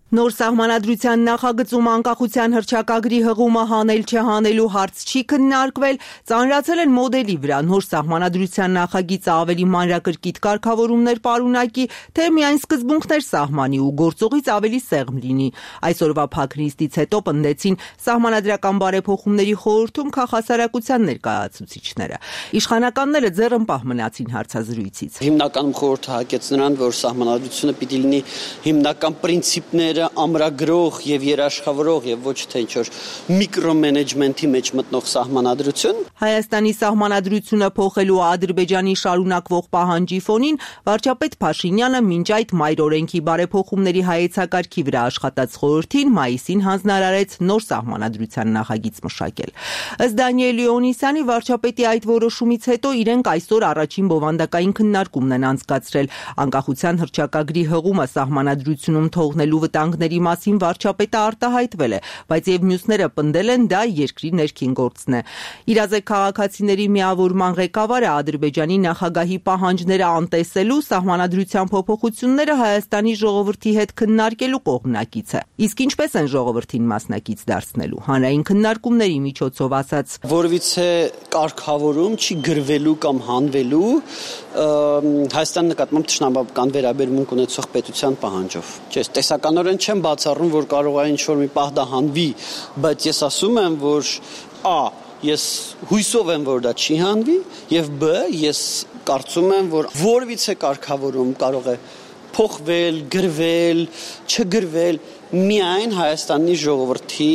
Նոր սահմանադրության նախագծում անկախության հռչակագրի հղումը հանել չհանելու հարց չի քննարկվել, ծանրացել են մոդելի վրա նոր սահմանադրության նախագիծը ավելի մանրակրկիտ կարգավորումներ պարունակի, թե միայն սկզբունքներ սահմանի ու գործողից ավելի սեղմ լինի։ Այսօրվա փակ նիստից հետո պնդեցին սահմանադրական բարեփոխումների խորհրդում քաղաքասարակության ներկայացուցիչները։ Իշխանականները ձեռնպահ մնացին հարցազրույցից։ Հիմնականում խորհուրդը հակեց նրան, որ սահմանադրությունը պիտի լինի հիմնական պրինցիպներ ամրագրող եւ երաշխավորող եւ ոչ թե ինչ-որ միկրոմենեջմենթի մեջ մտնող սահմանադրություն։ Հայաստանի սահմանադրությունը փոխելու Ադրբեջանի շարունակվող պահանջի ֆոնին վարչապետ Փաշինյանը մինչ այդ մայր օրենքի բարեփոխումների հայեցակարգի վրա աշխատած խորհրդին մայիսին հանձնարարեց նոր սահմանադրության նախագիծ մշակել։ Ըստ Դանիել Լեոնիսյանի վարչապետի այդ որոշումից հետո իրենք այսօր առաջին բովանդակային քննարկումն են անցկացրել։ Անկախության հռչակագրի հղումը սահմանադրությունում թողնելու ների մասին վարչապետը արտահայտվել է, բայց եւ մյուսները պնդել են դա երկրի ներքին գործն է։ Իրազեկ քաղաքացիների միավորման ղեկավարը Ադրբեջանի նախագահի պահանջները անտեսելու սահմանադրության փոփոխությունները Հայաստանի ժողովրդի հետ քննարկելու կողմնակից է։ Իսկ ինչպես են ժողովրդին մասնակից դարձնելու։ Հանրային քննարկումների միջոցով ասած, որովիցե կարգավորում չի գրվելու կամ հանվելու Հայաստանի նկատմամբ թշնամական վերաբերմունք ունեցող պետության պահանջով։ Չէ, տեսականորեն չեմ բացառում, որ կարող է ինչ-որ մի պահ դա հանվի, բայց ես ասում եմ, որ a. ես հույսով եմ, որ դա չի հանվի, եւ b. ես կարծում եմ, որ որևիցե կարգավորում կարող է փոխվել, գրվել, չգրվել միայն Հայաստանի ժողովրդի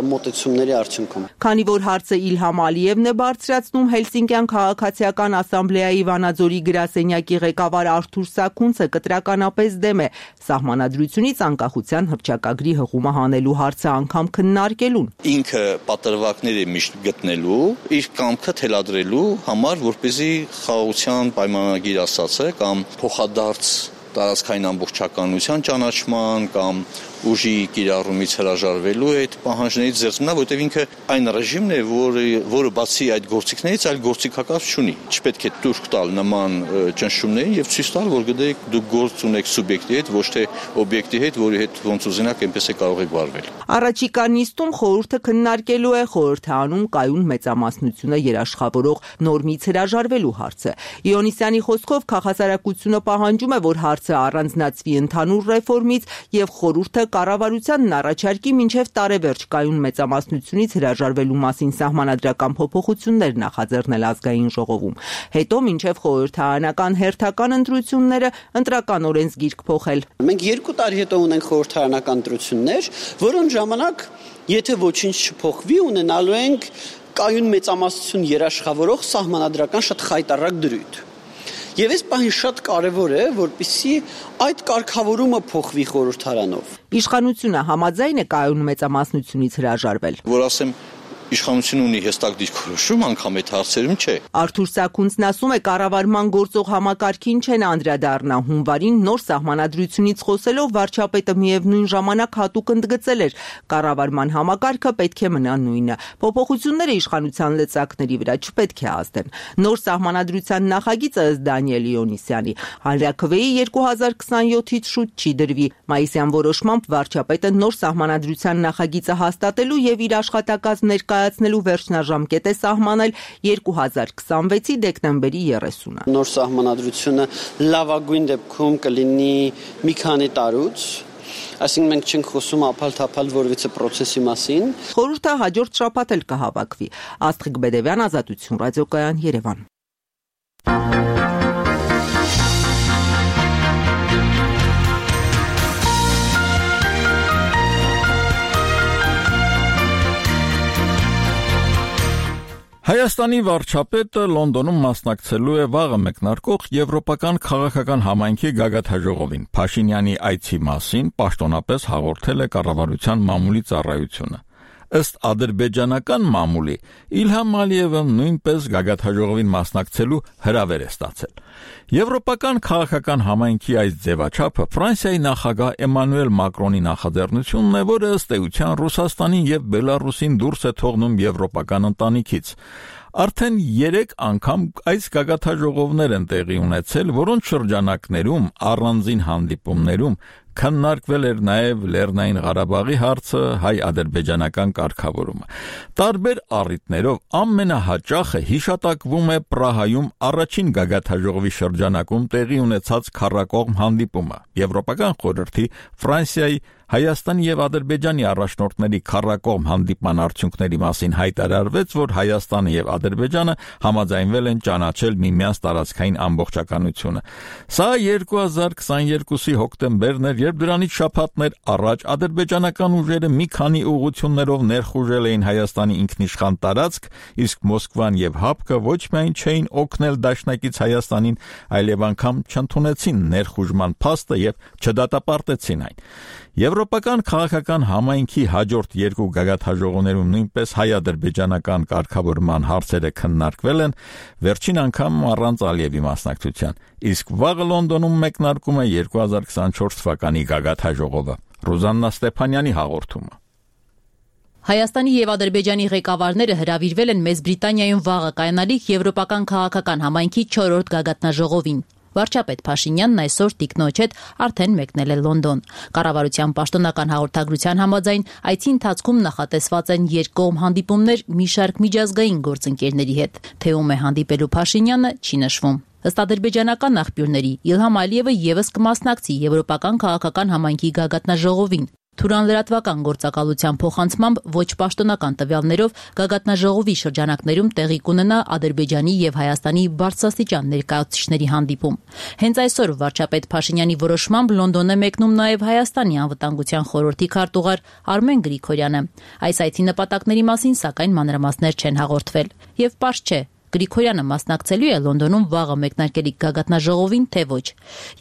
մոտեցումների արդյունքում։ Քանի որ հարցը Իլհամ Ալիևն է բարձրացնում, Հելսինկյան քաղաքացիական ասամբլեայի Վանաձորի գրասենյակի ղեկավար Արթուր Սաքունցը կտրականապես դեմ է սահմանադրությունից անկախության հռչակագրի հղումը հանելու հարցը անգամ քննարկելուն։ Ինքը պատրվակներ է միշտ գտնելու, իր կամքը թելադրելու համար, որպեսզի խաղաղության պայմանագիր ասացը կամ փոխադարձ տարածքային ամբողջականության ճանաչման կամ ուժի կիրառումից հրաժարվելու այդ պահանջներից զերծ մնա, որտեղ ինքը այն ռեժիմն է, որը որը բացի այդ գործիքներից այլ գործիքակարգ չունի։ Չպետք է տուրք տալ նման ճնշումներին եւ ցույց տալ, որ գիտեք դուք գործ ունեք սուբյեկտի հետ, ոչ թե օբյեկտի հետ, որի հետ ոնց ուզենաք այնպես է կարող եք վարվել։ Առաջիկա նիստում խորհուրդը քննարկելու է խորհրդանում կայուն մեծամասնությունը երաշխավորող նորմից հրաժարվելու հարցը։ Իոնիսյանի խոսքով քաղաքասարակությունը պահանջում է, որ հարցը առանձնացվի ընդհանուր ռեֆորմից եւ խորհուրդը կառավարությանն առաջարկի մինչև տարեվերջ կայուն մեծամասնությունից հրաժարվելու մասին սահմանադրական փոփոխություններ նախաձեռնել ազգային ժողովում։ Հետո մինչև խորհրդարանական հերթական ընտրությունները ընտրական օրենսգիրք փոխել։ Մենք երկու տարի հետո ունենք խորհրդարանական ընտրություններ, որոնց ժամանակ եթե ոչինչ չփոխվի, ունենալու ենք կայուն մեծամասնություն երաշխավորող սահմանադրական շատ խայտառակ դրույթ։ Եվ այս պահին շատ կարևոր է, որպեսզի այդ կարգավորումը փոխվի խորհրդարանով։ Իշխանությունը համաձայն է կայուն մեծամասնությունից հրաժարվել։ Որ ասեմ Իշխանությունը ունի հստակ դիրքորոշում, անգամ այդ հարցերում չէ։ Արթուր Սաքունցն ասում է, կառավարման գործող համակարգին չեն անդրադառնա։ Հունվարին նոր սահմանադրությունից խոսելով վարչապետը միևնույն ժամանակ հատուկ ընդգծել էր, կառավարման համակարգը պետք է մնա նույնը։ Փոփոխությունները իշխանության լծակների վրա չպետք է ազդեն։ Նոր սահմանադրության նախագիծը ըստ Դանիել Իոնիսյանի հանրաքվեի երկու հազար քսանյոթից շուտ չի դրվի։ Մայիսյան որոշմամբ վարչապետը նոր սահմանադրության նախագիծը հաստատելու եւ իր աշխատակազմ ներկայացնելու վերջնաժամկետ է սահմանել երկու հազար քսանվեցի դեկտեմբերի երեսունը։ Նոր սահմանադրությունը լավագույն դեպքում կլինի մի քանի տարուց, այսինքն մենք չենք խոսում ափալ-թափալ որևիցե process-ի մասին։ Խորհուրդը հաջորդ շաբաթ էլ կհավաքվի։ Աստղիկ Բեդևյան, Ազատություն, Ռադիոկայան, Երևան։ Հայաստանի վարչապետը Լոնդոնում մասնակցելու է վաղը մեկնարկող Եվրոպական քաղաքական համայնքի գագաթնաժողովին։ Փաշինյանի այցի մասին պաշտոնապես հաղորդել է կառավարության մամուլի ծառայությունը։ Ըստ ադրբեջանական մամուլի Իլհամ Ալիևը նույնպես գագաթնաժողովին մասնակցելու հրավեր է ստացել։ Եվրոպական քաղաքական համայնքի այս ձևաչափը Ֆրանսիայի նախագահ Էմանուել Մակրոնի նախաձեռնությունն է, որը ըստ էության Ռուսաստանին եւ Բելարուսին դուրս է թողնում եվրոպական ընտանիքից։ Արդեն երեք անգամ այս գագաթնաժողովներ են տեղի ունեցել, որոնց շրջանակներում առանձին հանդիպումներում քննարկվել էր նաև Լեռնային Ղարաբաղի հարցը, հայ-ադրբեջանական կարգավորումը։ Տարբեր առիթներով ամենահաճախը հիշատակվում է Պրահայում առաջին գագաթնաժողովի շրջանակում տեղի ունեցած քառակողմ հանդիպումը։ Եվրոպական խորհրդի, Ֆրանսիայի, Հայաստանի եւ Ադրբեջանի առաջնորդների քառակողմ հանդիպման արդյունքների մասին հայտարարվեց, որ Հայաստանը եւ Ադրբեջանը համաձայնվել են ճանաչել միմյանց տարածքային ամբողջականությունը։ Սա երկու հազար քսաներկուսի հոկտեմբերն էր, երբ դրանից շաբաթներ առաջ ադրբեջանական ուժերը մի քանի ուղղություններով ներխուժել էին Հայաստանի ինքնիշխան տարածք, իսկ Մոսկվան եւ ՀԱՊԿ ոչ միայն չէին օգնել դաշնակից Հայաստանին, այլև անգամ չընդունեցին ներխուժման փաստը եւ չդատապարտեցին այն։ Եվրոպական քաղաքական համայնքի հաջորդ երկու գագաթնաժողովներում նույնպես հայ-ադրբեջանական կարգավորման հարցերը քննարկվել են, վերջին անգամ առանց Ալիևի մասնակցության, իսկ վաղը Լոնդոնում մեկնարկում է երկու հազար քսանչորս թվականի գագաթնաժողովը։ Ռուզաննա Ստեփանյանի հաղորդումը։ Հայաստանի եւ Ադրբեջանի ղեկավարները հրավիրվել են Մեծ Բրիտանիայում վաղը կայանալիք Եվրոպական քաղաքական համայնքի չորրորդ գագաթնաժողովին։ Վարչապետ Փաշինյանն այսօր տիկնոջ հետ արդեն մեկնել է Լոնդոն։ Կառավարության պաշտոնական հաղորդագրության համաձայն այցի ընթացքում նախատեսված են երկկողմ հանդիպումներ մի շարք միջազգային գործընկերների հետ։ Թե ում է հանդիպելու Փաշինյանը չի նշվում։ Ըստ ադրբեջանական աղբյուրների Իլհամ Ալիևը եւս կմասնակցի Եվրոպական քաղաքական համայնքի գագաթնաժողովին։ Թուրան լրատվական գործակալության փոխանցմամբ ոչ պաշտոնական տվյալներով գագաթնաժողովի շրջանակներում տեղի կունենա Ադրբեջանի եւ Հայաստանի բարձրաստիճան ներկայացուցիչների հանդիպում։ Հենց այսօր վարչապետ Փաշինյանի որոշմամբ Լոնդոն է մեկնում նաեւ Հայաստանի անվտանգության խորհրդի քարտուղար Արմեն Գրիգորյանը։ Այս այցի նպատակների մասին սակայն մանրամասներ չեն հաղորդվել։ Եվ պարզ չէ, Գրիգորյանը մասնակցելու է Լոնդոնում վաղը մեկնարկելիք գագաթնաժողովին, թե ոչ։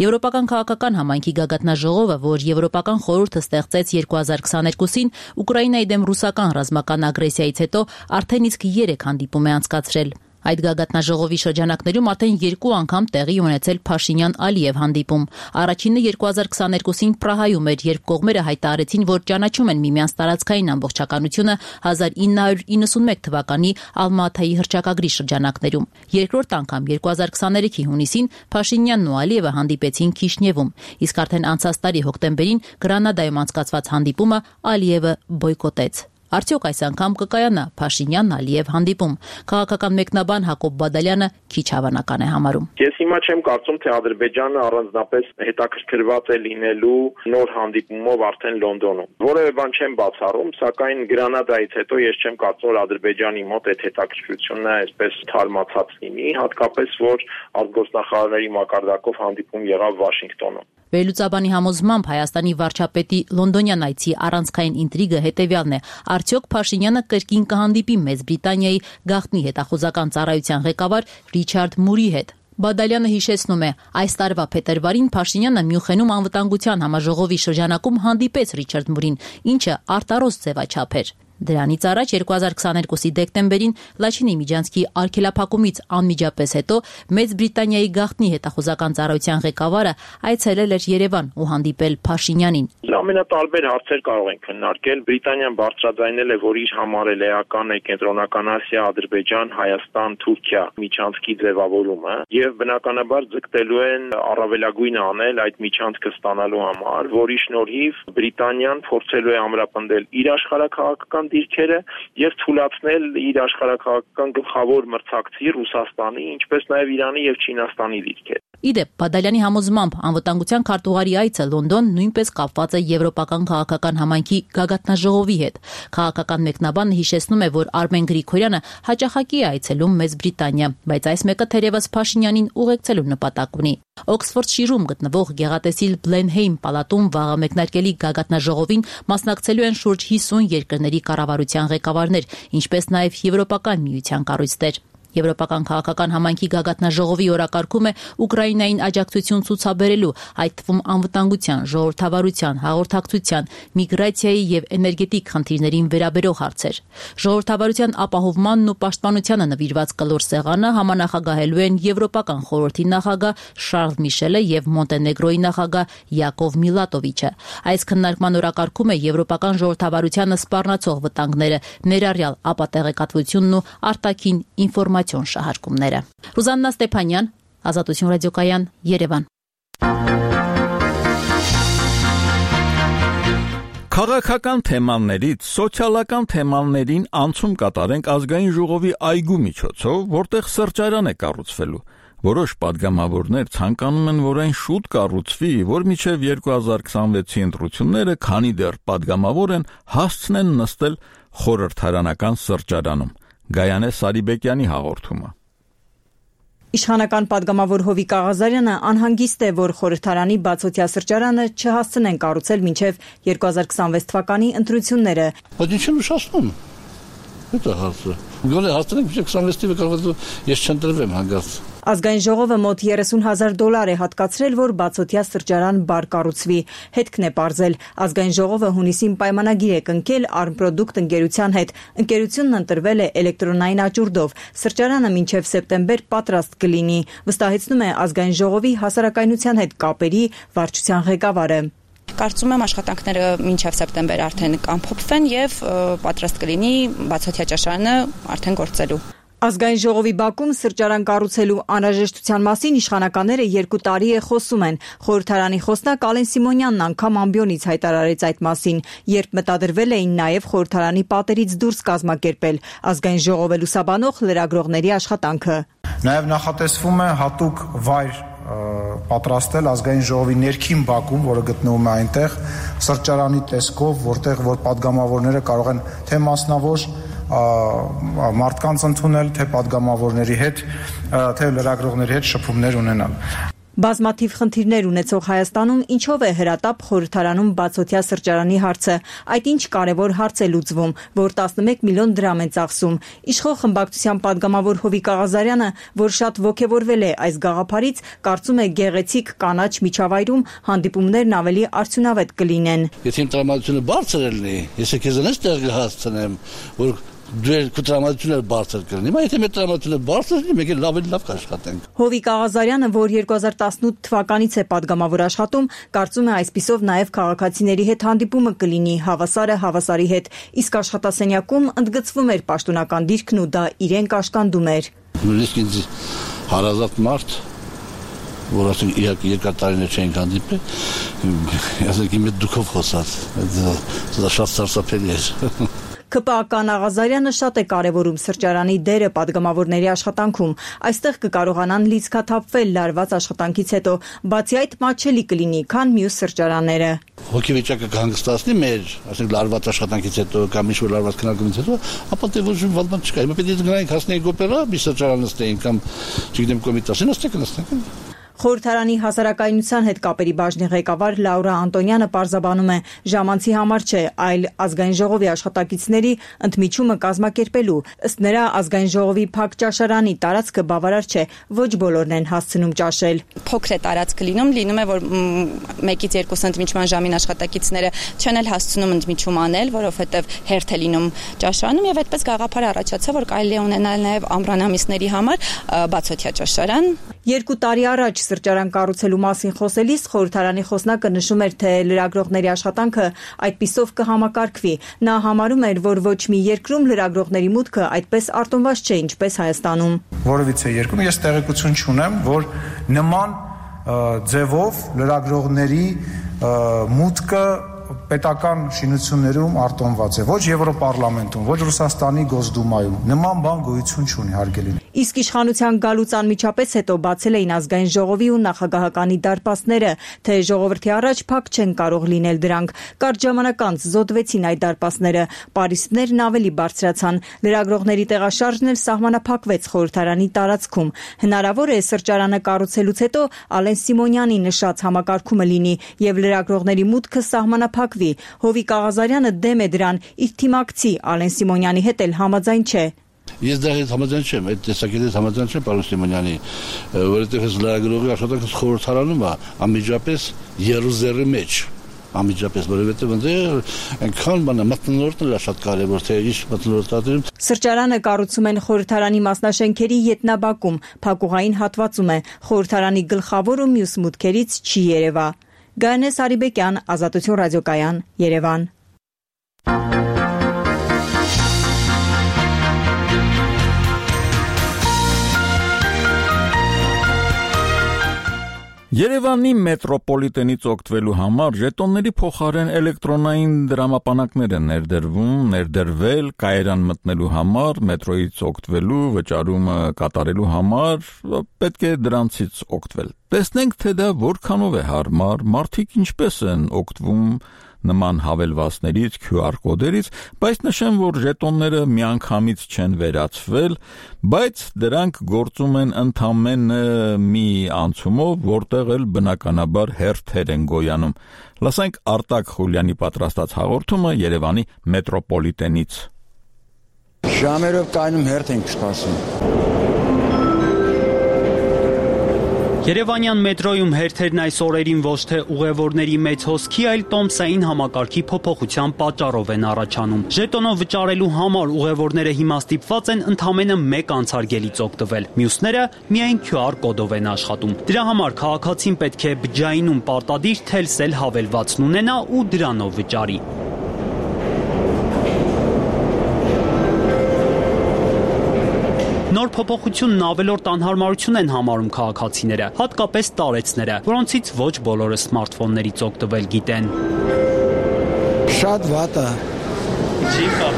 Եվրոպական քաղաքական համայնքի գագաթնաժողովը, որ Եվրոպական խորհուրդը ստեղծեց երկու հազար քսաներկուսին, Ուկրաինայի դեմ ռուսական ռազմական ագրեսիայից հետո արդեն իսկ երեք հանդիպում է անցկացրել։ Այդ գագաթնաժողովի շրջանակներում արդեն երկու անգամ տեղի ունեցել Փաշինյան-Ալիև հանդիպում։ Առաջինը երկու հազար քսաներկուսին Պրահայում էր, երբ կողմերը հայտարարեցին, որ ճանաչում են միմյանց տարածքային ամբողջականությունը հազար ինը հարյուր իննսունմեկ թվականի Ալմա-Աթայի հռչակագրի շրջանակներում։ Երկրորդ անգամ երկու հազար քսաներեքի հունիսին Փաշինյանն ու Ալիևը հանդիպեցին Քիշնևում, իսկ արդեն անցած տարի հոկտեմբերին Գրանադայում անցկացված հանդիպումը Ալիևը բոյկոտեց։ Արդյոք այս անգամ կկայանա Փաշինյան-Ալիև հանդիպում։ Քաղաքական մեկնաբան Հակոբ Բադալյանը քիչ հավանական է համարում։ Ես հիմա չեմ կարծում, թե Ադրբեջանը առանձնապես հետաքրքրված է լինելու նոր հանդիպումով արդեն Լոնդոնում։ Որևէ բան չեմ բացառում, սակայն Գրանադայից հետո ես չեմ կարծում, որ Ադրբեջանի մոտ այդ հետաքրքրությունը այսպես թարմացած լինի, հատկապես որ արտգործնախարարների մակարդակով հանդիպում եղավ Վաշինգտոնում։ Վերլուծաբանի համոզմամբ Հայաստանի վարչապետի լոնդոնյան այցի առանցքային ինտրիգը հետևյալն է. արդյոք Փաշինյանը կրկին կհանդիպի Մեծ Բրիտանիայի գաղտնի հետախուզական ծառայության ղեկավար Ռիչարդ Մուրի հետ։ Բադալյանը հիշեցնում է, այս տարվա փետրվարին Փաշինյանը Մյունխենում անվտանգության համաժողովի շրջանակում հանդիպեց Ռիչարդ Մուրին, ինչը արտարոց ձևաչափ էր։ Դրանից առաջ երկու հազար քսաներկուսի դեկտեմբերին Լաչինի Միջանցքի արգելափակումից անմիջապես հետո Մեծ Բրիտանիայի գաղտնի հետախուզական ծառայության ղեկավարը այցելել էր Երևան ու հանդիպել Փաշինյանին։ Ամենատարբեր հարցեր կարող են քննարկել։ Բրիտանիան բարձրաձայնել է, որ իր համար էլ էական է Կենտրոնական Ասիա, Ադրբեջան, Հայաստան, Թուրքիա միջանցքի ձևավորումը եւ բնականաբար ձգտելու են առավելագույնը անել այդ միջանցքը ստանալու համար, որի շնորհիվ Բրիտանիան փորձելու է ամրապնդել իր աշխարհակաղակական դիրքերը եւ թույլատրել իր աշխարհակաղակական գլխավոր մրցակցի Ռուսաստանի, ինչպես նաեւ Իրանի եւ Չինաստանի դիրքերը։ Իդեպ Բադալյանի համոզմամբ անվտանգության քարտուղարի այցը Լոնդոն նույնպես կապված է եվրոպական քաղաքական համայնքի գագաթնաժողովի հետ։ Քաղաքական մեկնաբանը հիշեցնում է, որ Արմեն Գրիգորյանը հաճախակի է այցելում Մեծ Բրիտանիա, բայց այս մեկը թերևս Փաշինյանին ուղեկցելու նպատակ ունի։ Օքսֆորդշիրում գտնվող գեղատեսիլ Բլենհեյմ պալատում վաղը մեկնարկելի գագաթնաժողովին մասնակցելու են շուրջ հիսուն երկրների կառավարության ղեկավարներ, ինչպես նաև Եվրոպական միության կառույցներ։ Եվրոպական քաղաքական համայնքի գագաթնաժողովի օրակարգում է Ուկրաինային աջակցություն ցուցաբերելու, այդ թվում անվտանգության, ժողովրդավարության, հաղորդակցության, միգրացիայի եւ էներգետիկ խնդիրներին վերաբերող հարցեր։ Ժողովրդավարության ապահովմանն ու պաշտպանությանը նվիրված կլոր սեղանը համանախագահելու են Եվրոպական խորհրդի նախագահ Շարլ Միշելը եւ Մոնտենեգրոյի նախագահ Յակով Միլատովիչը։ Այս քննարկման օրակարգում է եվրոպական ժողովրդավարությանը սպառնացող վտանգները, ներառյալ ապատեղեկատվությունն ու արտաքին ինֆորմացիա շահարկումները։ Ռուզաննա Ստեփանյան, Ազատություն ռադիոկայան, Երևան։ Քաղաքական թեմաներից սոցիալական թեմաներին անցում կատարենք ազգային ժողովի այգու միջոցով, որտեղ սրճարան է կառուցվելու։ Որոշ падգամավորներ ցանկանում են, որ այն շուտ կառուցվի, որ մինչև երկու հազար քսանվեցի ընտրությունները, քանի դեռ падգամավոր են, հասցնեն նստել խորհրդարանական սրճարանում։ Գայանե Սարիբեկյանի հաղորդումը։ Իշխանական падգամավոր Հովիկ Աղազարյանը անհանգիստ է, որ խորհրդարանի բացօթյա սրճարանը չհասցնեն կառուցել մինչև երկու հազար քսանվեց թվականի ընտրությունները։ Բայց ինչ են ուշացնում։ Դա հարցը։ Գոնե հասցնենք մինչև քսանվեց թվականը կառուցել, ես չընտրվեմ հանգած։ Ազգային ժողովը մոտ երեսուն հազար դոլար է հատկացրել, որ բացօթյա սրճարան բար կառուցվի։ Հետքն է պարզել։ Ազգային ժողովը հունիսին պայմանագիր է կնքել Արմպրոդուկտ ընկերության հետ։ Ընկերությունն ընտրվել է էլեկտրոնային աճուրդով։ Սրճարանը մինչև սեպտեմբեր պատրաստ կլինի, վստահեցնում է Ազգային ժողովի հասարակայնության հետ կապերի վարչության ղեկավարը։ Կարծում եմ աշխատանքները մինչև սեպտեմբեր արդեն կամփոփվեն եւ պատրաստ կլինի բացօթյա ճաշարանը արդեն գործելու։ Ազգային ժողովի բակում սրճարան կառուցելու անհրաժեշտության մասին իշխանականները երկու տարի է խոսում են։ Խորհրդարանի խոսնակ Ալեն Սիմոնյանն անգամ ամբիոնից հայտարարեց այդ մասին, երբ մտադրվել էին նաև խորհրդարանի պատերից դուրս կազմակերպել ազգային ժողովը լուսաբանող լրագրողների աշխատանքը։ Նաև նախատեսվում է հատուկ վայր պատրաստել ազգային ժողովի ներքին բակում, որը գտնվում է այնտեղ, սրճարանի տեսքով, որտեղ որ падգամավորները կարող են թե մասնավոր մարդկանց ընդունել, թե падգամավորների հետ, թե լրագրողների հետ շփումներ ունենալ։ Բազմաթիվ խնդիրներ ունեցող Հայաստանում ինչով է հրատապ խորհրդարանում բացօթյա սրճարանի հարցը։ Այդ ինչ կարևոր հարց է լուծվում, որ տասնմեկ միլիոն դրամ են ծախսում։ Իշխող խմբակցության падգամավոր Հովիկ Աղազարյանը, որ շատ ոգևորվել է այս գաղափարից, կարծում է գեղեցիկ կանաչ միջավայրում հանդիպումներն ավելի արդյունավետ կլինեն։ Եթե իմ տրամադրությունը բարձր լինի, ես քեզանից տեղ կհասցնեմ, որ դու տրամադրությունը բարձր կրնի, բայց եթե մեր տրամադրությունը բարձր լինի, մենք լավ էլ լավ կաշխատենք։ Հովիկ Աղազարյանը, որ երկու հազար տասնութ թվականից է падգամավոր աշխատում, կարծում է այսպիսով նաև քաղաքացիների հետ հանդիպումը կլինի հավասարը հավասարի հետ, իսկ աշխատասենյակում ընդգծվում էր պաշտոնական դիրքն ու դա իրեն կաշկանդում էր։ Նույնիսկ ինձ հարազատ մարդ, որ ասենք երկար տարիներ չենք հանդիպել, ասենք իմ հետ դուքով խոսած, դա շատ սարսափելի էր։ ՔՊԱ-ական Աղազարյանը շատ է կարևորում սրճարանի դերը падգամավորների աշխատանքում։ Այստեղ կկարողանան լիցքաթափվել լարված աշխատանքից հետո, բացի այդ մատչելի կլինի, քան մյուս սրճարանները։ Հոգեվիճակը կհանգստացնի մեր, ասենք լարված աշխատանքից հետո կամ ինչ-որ լարված քննարկումից հետո, ապա դե ոչ մի բան չկա։ Հիմա պետք է գնանք հասնենք օպերա, մի սրճարան նստենք կամ չգիտեմ կոմիտասի նստենք, նստենք։ Խորհրդարանի հասարակայնության հետ կապերի բաժնի ղեկավար Լաուրա Անտոնյանը պարզաբանում է, ժամանցի համար չէ, այլ ազգային ժողովի աշխատակիցների ընդմիջումը կազմակերպելու։ Ըստ նրա, ազգային ժողովի փակ ճաշարանի տարածքը բավարար չէ, ոչ բոլորն են հասցնում ճաշել։ Փոքր է տարածքը լինում, լինում է, որ մեկից երկուս ընդմիջման ժամին աշխատակիցները չեն էլ հասցնում ընդմիջում անել, որովհետև հերթ է լինում ճաշարանում եւ այդպես գաղափար առաջացա, որ կարելի է ունենալ նաեւ ամռանամիսների համար բացօթյա ճաշարան։ Երկու տարի առաջ սրճարան կառուցելու մասին խոսելիս խորհրդարանի խոսնակը նշում էր, թե լրագրողների աշխատանքը այդպիսով կհամակարգվի։ Նա համարում էր, որ ոչ մի երկրում լրագրողների մուտքը այդպես արտոնված չէ, ինչպես Հայաստանում։ Որևիցե երկրում ես տեղեկություն չունեմ, որ նման ձևով լրագրողների մուտքը պետական շինություններում արտոնված է, ոչ Եվրոպարլամենտում, ոչ Ռուսաստանի Գոսդումայում, նման բան գոյություն չունի, հարգելի։ Իսկ իշխանության գալուց անմիջապես հետո բացել էին ազգային ժողովի ու նախագահականի դարպասները, թե ժողովրդի առաջ փակ չեն կարող լինել դրանք։ Կարճ ժամանակ անց զոդվեցին այդ դարպասները, պարիսպներն ավելի բարձրացան, լրագրողների տեղաշարժն էլ սահմանափակվեց խորհրդարանի տարածքում։ Հնարավոր է սրճարանը կառուցելուց հետո Ալեն Սիմոնյանի նշած համակարգումը լինի եւ լրագրողների մուտքը սահմանափակվի։ Հովիկ Աղազարյանը դեմ է դրան, իր թիմակցի Ալեն Սիմոնյանի հետ էլ համաձայն չէ։ Ես դա հետ համաձայն չեմ, այդ տեսակետից համաձայն չեմ պարոն Սիմոնյանի, որովհետև այս լրագրողի աշխատանքը խորհրդարանում է անմիջապես Երուսաղեմի մեջ, անմիջապես, որովհետև այնտեղ այնքան բան է, մթնոլորտն էլ շատ կարևոր, թե ինչ մթնոլորտատերում։ Սրճարանը կառուցում են խորհրդարանի մասնաշենքերի յետնաբակում, փակուղային հատվածում է, խորհրդարանի գլխավոր ու մյուս մուտքերից չի երևա։ Գայանե Սարիբեկյան, Ազատություն ռադիոկայան, Երևան։ Երևանի մետրոպոլիտենից օգտվելու համար ժետոնների փոխարեն էլեկտրոնային դրամապանակներ են ներդրվում, ներդրվել կայարան մտնելու համար, մետրոյից օգտվելու, վճարումը կատարելու համար պետք է դրանցից օգտվել։ Տեսնենք, թե դա որքանով է հարմար, մարդիկ ինչպես են օգտվում նման հավելվածներից, քյու ար կոդերից, բայց նշեմ, որ ժետոնները միանգամից չեն վերացվել, բայց դրանք գործում են ընդամենը մի անցումով, որտեղ էլ բնականաբար հերթեր են գոյանում։ Լսենք Արտակ Խուլյանի պատրաստած հաղորդումը Երևանի մետրոպոլիտենից։ Ժամերով կայնում հերթ ենք սպասում։ Երևանյան մետրոյում հերթերն այս օրերին ոչ թե ուղևորների մեծ հոսքի, այլ տոմսային համակարգի փոփոխության պատճառով են առաջանում։ Ժետոնով վճարելու համար ուղևորները հիմա ստիպված են ընդամենը մեկ անցարգելից օգտվել։ Մյուսները միայն քյու ար կոդով են աշխատում։ Դրա համար քաղաքացին պետք է բջջայինում պարտադիր թելսել հավելվածն ունենա ու դրանով վճարի։ Նոր փոփոխությունն ավելորդ անհարմարություն են համարում քաղաքացիները, հատկապես տարեցները, որոնցից ոչ բոլորը սմարթֆոններից օգտվել գիտեն։ Շատ վատ է։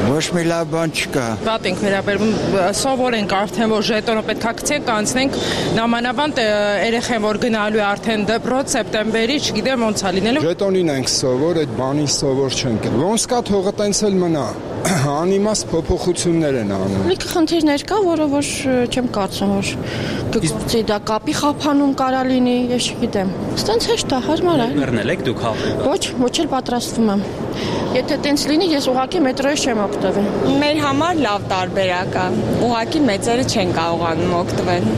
Ոչ մի լավ բան չկա։ Վատ ենք վերաբերվում, սովոր ենք արդեն, որ ժետոնը պետք է գցենք, անցնենք, նամանավանդ երեխեն, որ գնալու է արդեն դպրոց, սեպտեմբերի, չգիտեմ ոնց է լինելու։ Ժետոնին ենք սովոր, այդ բանին սովոր չենք։ Ոնց կա թողը տենց էլ մնա։ Անիմաստ փոփոխություններ են անում։ Լիքը խնդիրներ կա, որը որ չեմ կարծում, որ կգործի դա կապի խափանում կարա լինի, ես չգիտեմ։ Ստենց հեշտ է, հարմար է։ Մեռնել եք դուք հա։ Ոչ, ոչ էլ պատրաստվում եմ։ Եթե տենց լինի, ես ուղղակի մետրոյից չեմ օգտվել։ Մեր համար լավ տարբերակ է։ Ուղղակի մեծերը չեն կարողանում օգտվել։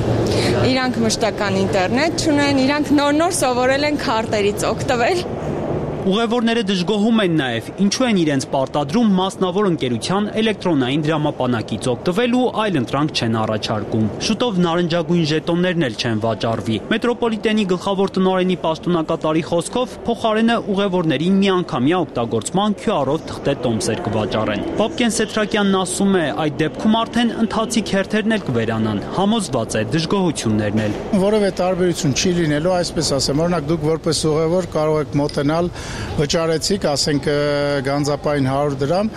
Իրանք մշտական ինտերնետ չունեն, իրանք նոր-նոր սովորել են քարտերից օգտվել։ Ուղևորները դժգոհում են նաև, ինչու են իրենց պարտադրում մասնավոր ընկերության էլեկտրոնային դրամապանակից օգտվել ու այլ ընտրանք չեն առաջարկում։ Շուտով նարնջագույն ժետոններն էլ չեն վաճառվի։ Մետրոպոլիտենի գլխավոր տնօրենի պաշտոնակատարի խոսքով փոխարենը ուղևորներին միանգամյա օգտագործման քյու առ-ով թղթե տոմսեր կվաճառեն։ Պապկեն Սեթրակյանն ասում է, այդ դեպքում արդեն ընթացիկ հերթերն էլ կվերանան, համոզված է դժգոհություններն էլ։ Որևէ տարբերություն չի լինելու, այսպես ասեմ, օրինակ դուք որպես ուղևոր կարող եք մոտենալ, վճարեցիք, ասենք գանձապային հարյուր դրամ,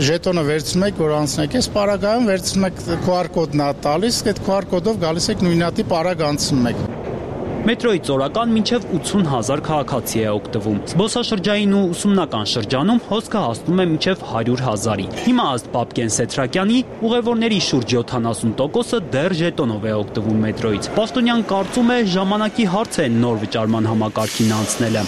ժետոնը վերցնում եք, որ անցնեք, այս պարագայում վերցնում եք քյու առ կոդն ա տալիս, այդ քյու առ կոդով գալիս եք նույնատիպ պարագ անցնում եք։ Մետրոյից օրական մինչև ութուն հազար քաղաքացի է օգտվում։ Զբոսաշրջային ու ուսումնական շրջանում հոսքը հասնում է մինչև հարյուր հազարի։ Հիմա ըստ Պապկեն Սեթրակյանի ուղևորների շուրջ յոթանասուն տոկոսը դեռ ժետոնով է օգտվում մետրոյից։ Պաշտոնյան կարծում է ժամանակի հարց է նոր վճարման համակարգին անցնելը։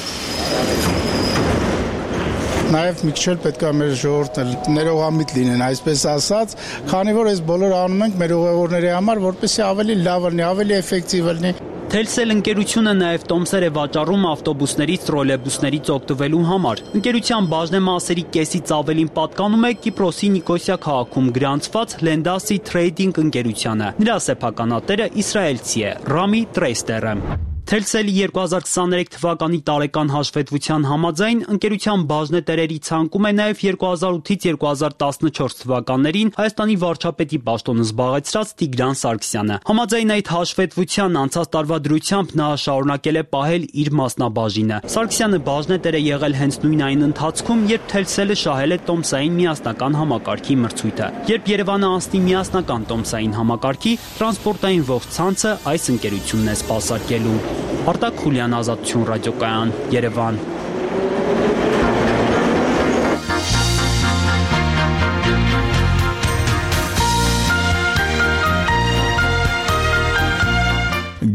Նաև մի քիչ պետք է մեր ժողովուրդն ներողամիտ լինեն, այսպես ասած, քանի որ այս բոլորը անում ենք մեր ուղևորների համար, որպեսզի ավելի լավ լինի, ավելի էֆեկտիվ լինի։ Թելսել ընկերությունը նաև տոմսեր է վաճառում ավտոբուսներից, տրոլեյբուսներից օգտվելու համար։ Ընկերության բաժնեմասերի կեսից ավելին պատկանում է Կիպրոսի Նիկոսիա քաղաքում գրանցված Lendasi Trading ընկերությանը։ Նրա սեփականատերը իսրայելցի է Ռամի Տրեյստերը։ Թելսելի երկու հազար քսաներեք թվականի տարեկան հաշվետվության համաձայն ընկերության բաժնետերերի ցանկում է նաև երկու հազար ութից երկու հազար տասնչորս թվականներին Հայաստանի վարչապետի պաշտոնը զբաղեցրած Տիգրան Սարգսյանը։ Համաձայն այդ հաշվետվության անցած տարվա դրությամբ նա շարունակել է պահել իր մասնաբաժինը։ Սարգսյանը բաժնետեր է եղել հենց նույն այն ընթացքում, երբ Թելսելը շահել է տոմսային միասնական համակարգի մրցույթը։ Երբ Երևանը անցնի միասնական տոմսային համակարգի, տրանսպորտային ողջ ցանցը այս ընկերությունն է սպասարկելու։ Արտակ Խուլյան, Ազատություն ռադիոկայան, Երևան։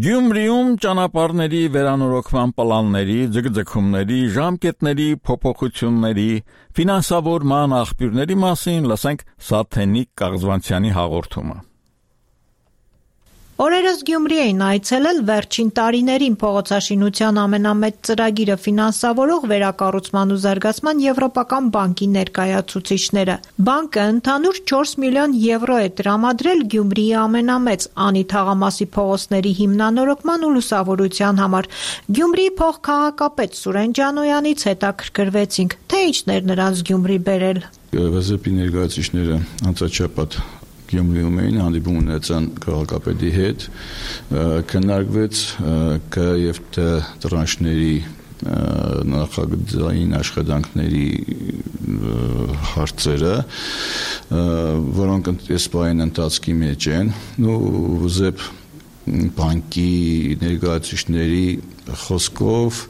Գյումրիում ճանապարհների վերանորոգման պլանների, ձգձգումների, ժամկետների, փոփոխությունների, ֆինանսավորման աղբյուրների մասին լսենք Սաթենիկ Կաղզվանցյանի հաղորդումը։ Օրերս Գյումրի էին այցելել վերջին տարիներին փողոցաշինության ամենամեծ ծրագիրը ֆինանսավորող Վերակառուցման ու զարգացման Եվրոպական բանկի ներկայացուցիչները։ Բանկը ընդհանուր չորս միլիոն եվրո է տրամադրել Գյումրիի ամենամեծ Անի թաղամասի փողոցների հիմնանորոգման ու լուսավորության համար։ Գյումրիի փոխքաղաքապետ Սուրեն Ջանոյանից հետաքրքրվեցինք, թե ինչն էր նրանց Գյումրի բերել։ Վեզեպի ներկայացուցիչները անցաչափած Գյումրիում էին, հանդիպում ունեցան քաղաքապետի հետ, քննարկվեց Կ եւ Տ տրանշների նախագծային աշխատանքների հարցերը, որոնք այս պահին ընթացքի մեջ են, ու ԶԵՊ բանկի ներկայացուցիչների խոսքով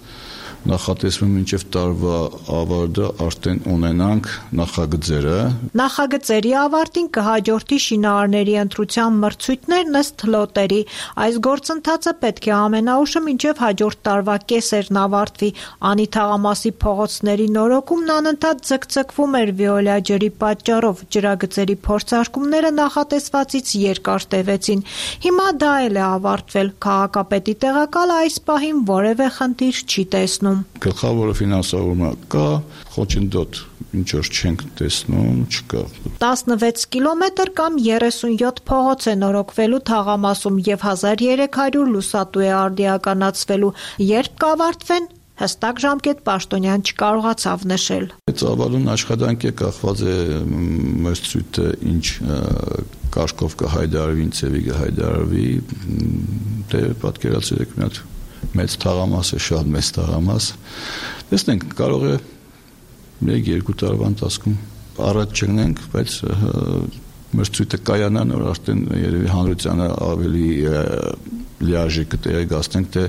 նախատեսվում մինչև տարվա ավարտը արդեն ունենանք նախագծերը։ Նախագծերի ավարտին կհաջորդի շինարարների ընտրության մրցույթներն ըստ լոտերի։ Այս գործընթացը պետք է ամենաուշը մինչև հաջորդ տարվա կեսերն ավարտվի։ Անի թաղամասի փողոցների նորոգումն անընդհատ ձգձգվում էր Վիոլա ջրի պատճառով։ Ջրագծերի փորձարկումները նախատեսվածից երկար տևեցին։ Հիմա դա էլ է ավարտվել։ Քաղաքապետի տեղակալը այս պահին որևէ խնդիր չի տեսնում։ Գլխավորը ֆինանսավորումը կա, խոչընդոտ ինչ որ չենք տեսնում, չկա։ տասնվեց կիլոմետր կամ երեսունյոթ փողոց է նորոգվելու թաղամասում եւ հազար երեք հարյուր լուսատու է արդիականացվելու։ Երբ կավարտվեն, հստակ ժամկետ Պաշտոնյան չկարողացավ նշել։ Ծավալուն աշխատանք է, կախված է մրցույթը ինչ կարգով կհայտարարվի, ինչ ծևի կհայտարարվի, դե պատկերացրեք մի հատ մեծ թաղամաս է, շատ մեծ թաղամաս։ Տեսնենք, կարող է մեկ-երկու տարվա ընթացքում առաջ չգնենք, բայց մրցույթը կայանան, որ արդեն երևի հանրությանը ավելի լիարժեք կտեղեկացնենք, թե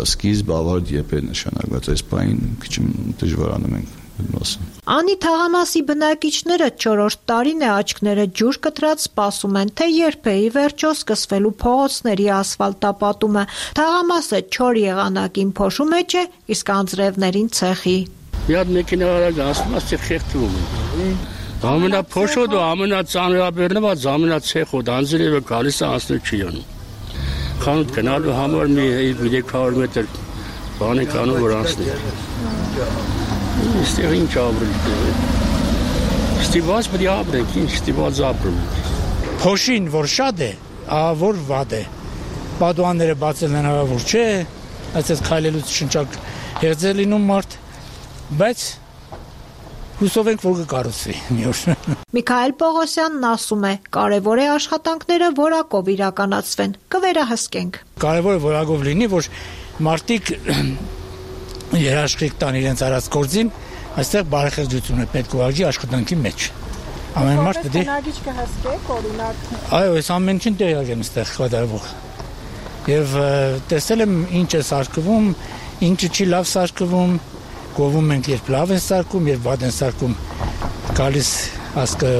սկիզբ ավարտ երբ է նշանակված, այս բանին քիչ դժվարանում ենք։ Անի թաղամասի բնակիչները չորրորդ տարին է աչքները ջուր կտրած սպասում են, թե երբ է ի վերջո սկսվելու փողոցների ասֆալտապատումը։ Թաղամասը չոր եղանակին փոշու մեջ է, իսկ անձրևներին ցեխի։ Մի հատ մեքենա արագ ասում է խեղդվում է։ Ամենափոշոտը, ամենածանրաբեռնված, ամենացեխոտ անձրևը գալիս է անցնել չի անում։ Խանութ գնալու համար մի երեք հարյուր մետր բան է կանում, որ անցնի։ Այստեղ ինչ ապրել։ Ստիված պետք է ապրենք, ինչ ստիված ապրում։ Փոշին, որ շատ է, որ վատ է։ Պատուհանները բացել հնարավոր չէ, այսպես քայլելուց շնչակ հերձ է լինում մարդ, բայց հուսով ենք, որ կկառուցվի մի օր։ Միքայել Պողոսյանն ասում է, կարևոր է աշխատանքները որակով իրականացվեն, կվերահսկենք։ Կարևոր է որակով լինի, որ մարդիկ երաշխիք տան իրենց արած գործին, այստեղ բարեխեղճություն է պետք ուղղակի աշխատանքի մեջ։ Ամեն մարդ պետք է Հնագիչ կհսկեք, օրինակ։ Այո, այս ամեն ինչին տեղյակ եմ այստեղ կատարվող։ Եվ տեսել եմ ինչ է սարքվում, ինչը չի լավ սարքվում, գովում ենք երբ լավ են սարքում, երբ վատ են սարքում, գալիս ասկը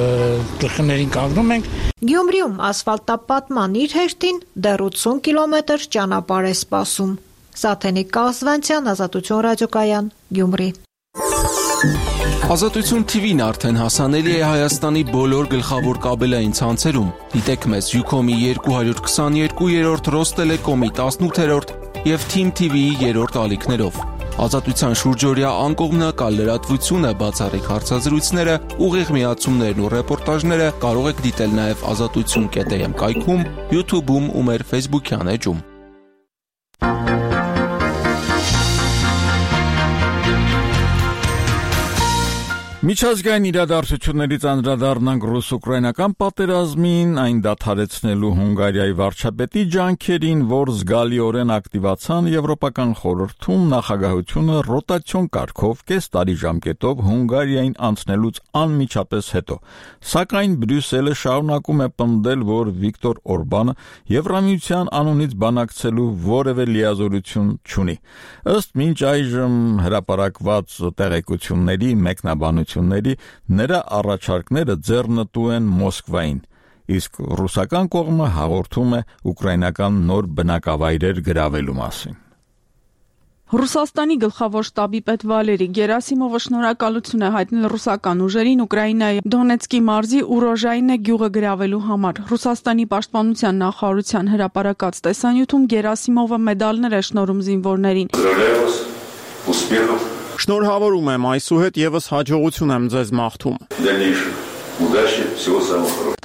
գլխներին կանգնում ենք։ Գյումրիում ասֆալտապատման իր հերթին դեռ ութսուն կիլոմետր ճանապարհ է սպասում։ Սաթենիկ Կազվանցյան, Ազատություն ռադիոկայան, Գյումրի։ Ազատություն T V-ն արդեն հասանելի է Հայաստանի բոլոր գլխավոր կաբելային ցանցերում։ Դիտեք մեզ Ucom-ի երկու հարյուր քսաներկու, Ռոստելեկոմի տասնութերորդ եւ Team T V-ի երրորդ ալիքներով։ Ազատության շուրջօրյա անկողմնակալ լրատվությունը, բացառիկ հարցազրույցները, ուղիղ միացումներն ու ռեպորտաժները կարող եք դիտել նաև ազատություն կետ am կայքում, YouTube-ում ու մեր Facebook-յան էջում։ Միջազգային իրադարձություններից անդրադառնանք ռուս-ուկրաինական պատերազմին, այն դադարեցնելու Հունգարիայի վարչապետի ջանքերին, որ զգալիորեն ակտիվացան Եվրոպական խորհրդում նախագահությունը ռոտացիոն կարգով կես տարի ժամկետով Հունգարիային անցնելուց անմիջապես հետո։ Սակայն Բրյուսելը շարունակում է պնդել, որ Վիկտոր Օրբանը Եվրամիության անունից բանակցելու որևէ լիազորություն չունի։ Ըստ մինչ այժմ հրապարակված տեղեկությունների մեկնաբանություն նրա առաջարկները ձեռնտու են Մոսկվային, իսկ ռուսական կողմը հաղորդում է ուկրաինական նոր բնակավայրեր գրավելու մասին։ Ռուսաստանի գլխավոր շտաբի պետ Վալերի Գերասիմովը շնորհակալություն է հայտնել ռուսական ուժերին Ուկրաինայի Դոնեցկի մարզի Ուրոժայինե գյուղը գրավելու համար։ Ռուսաստանի պաշտպանության նախարարության հրապարակած տեսանյութում Գերասիմովը մեդալներ է շնորհում զինվորներին։ Շնորհավորում եմ, այսուհետ եւս հաջողություն եմ ձեզ մաղթում։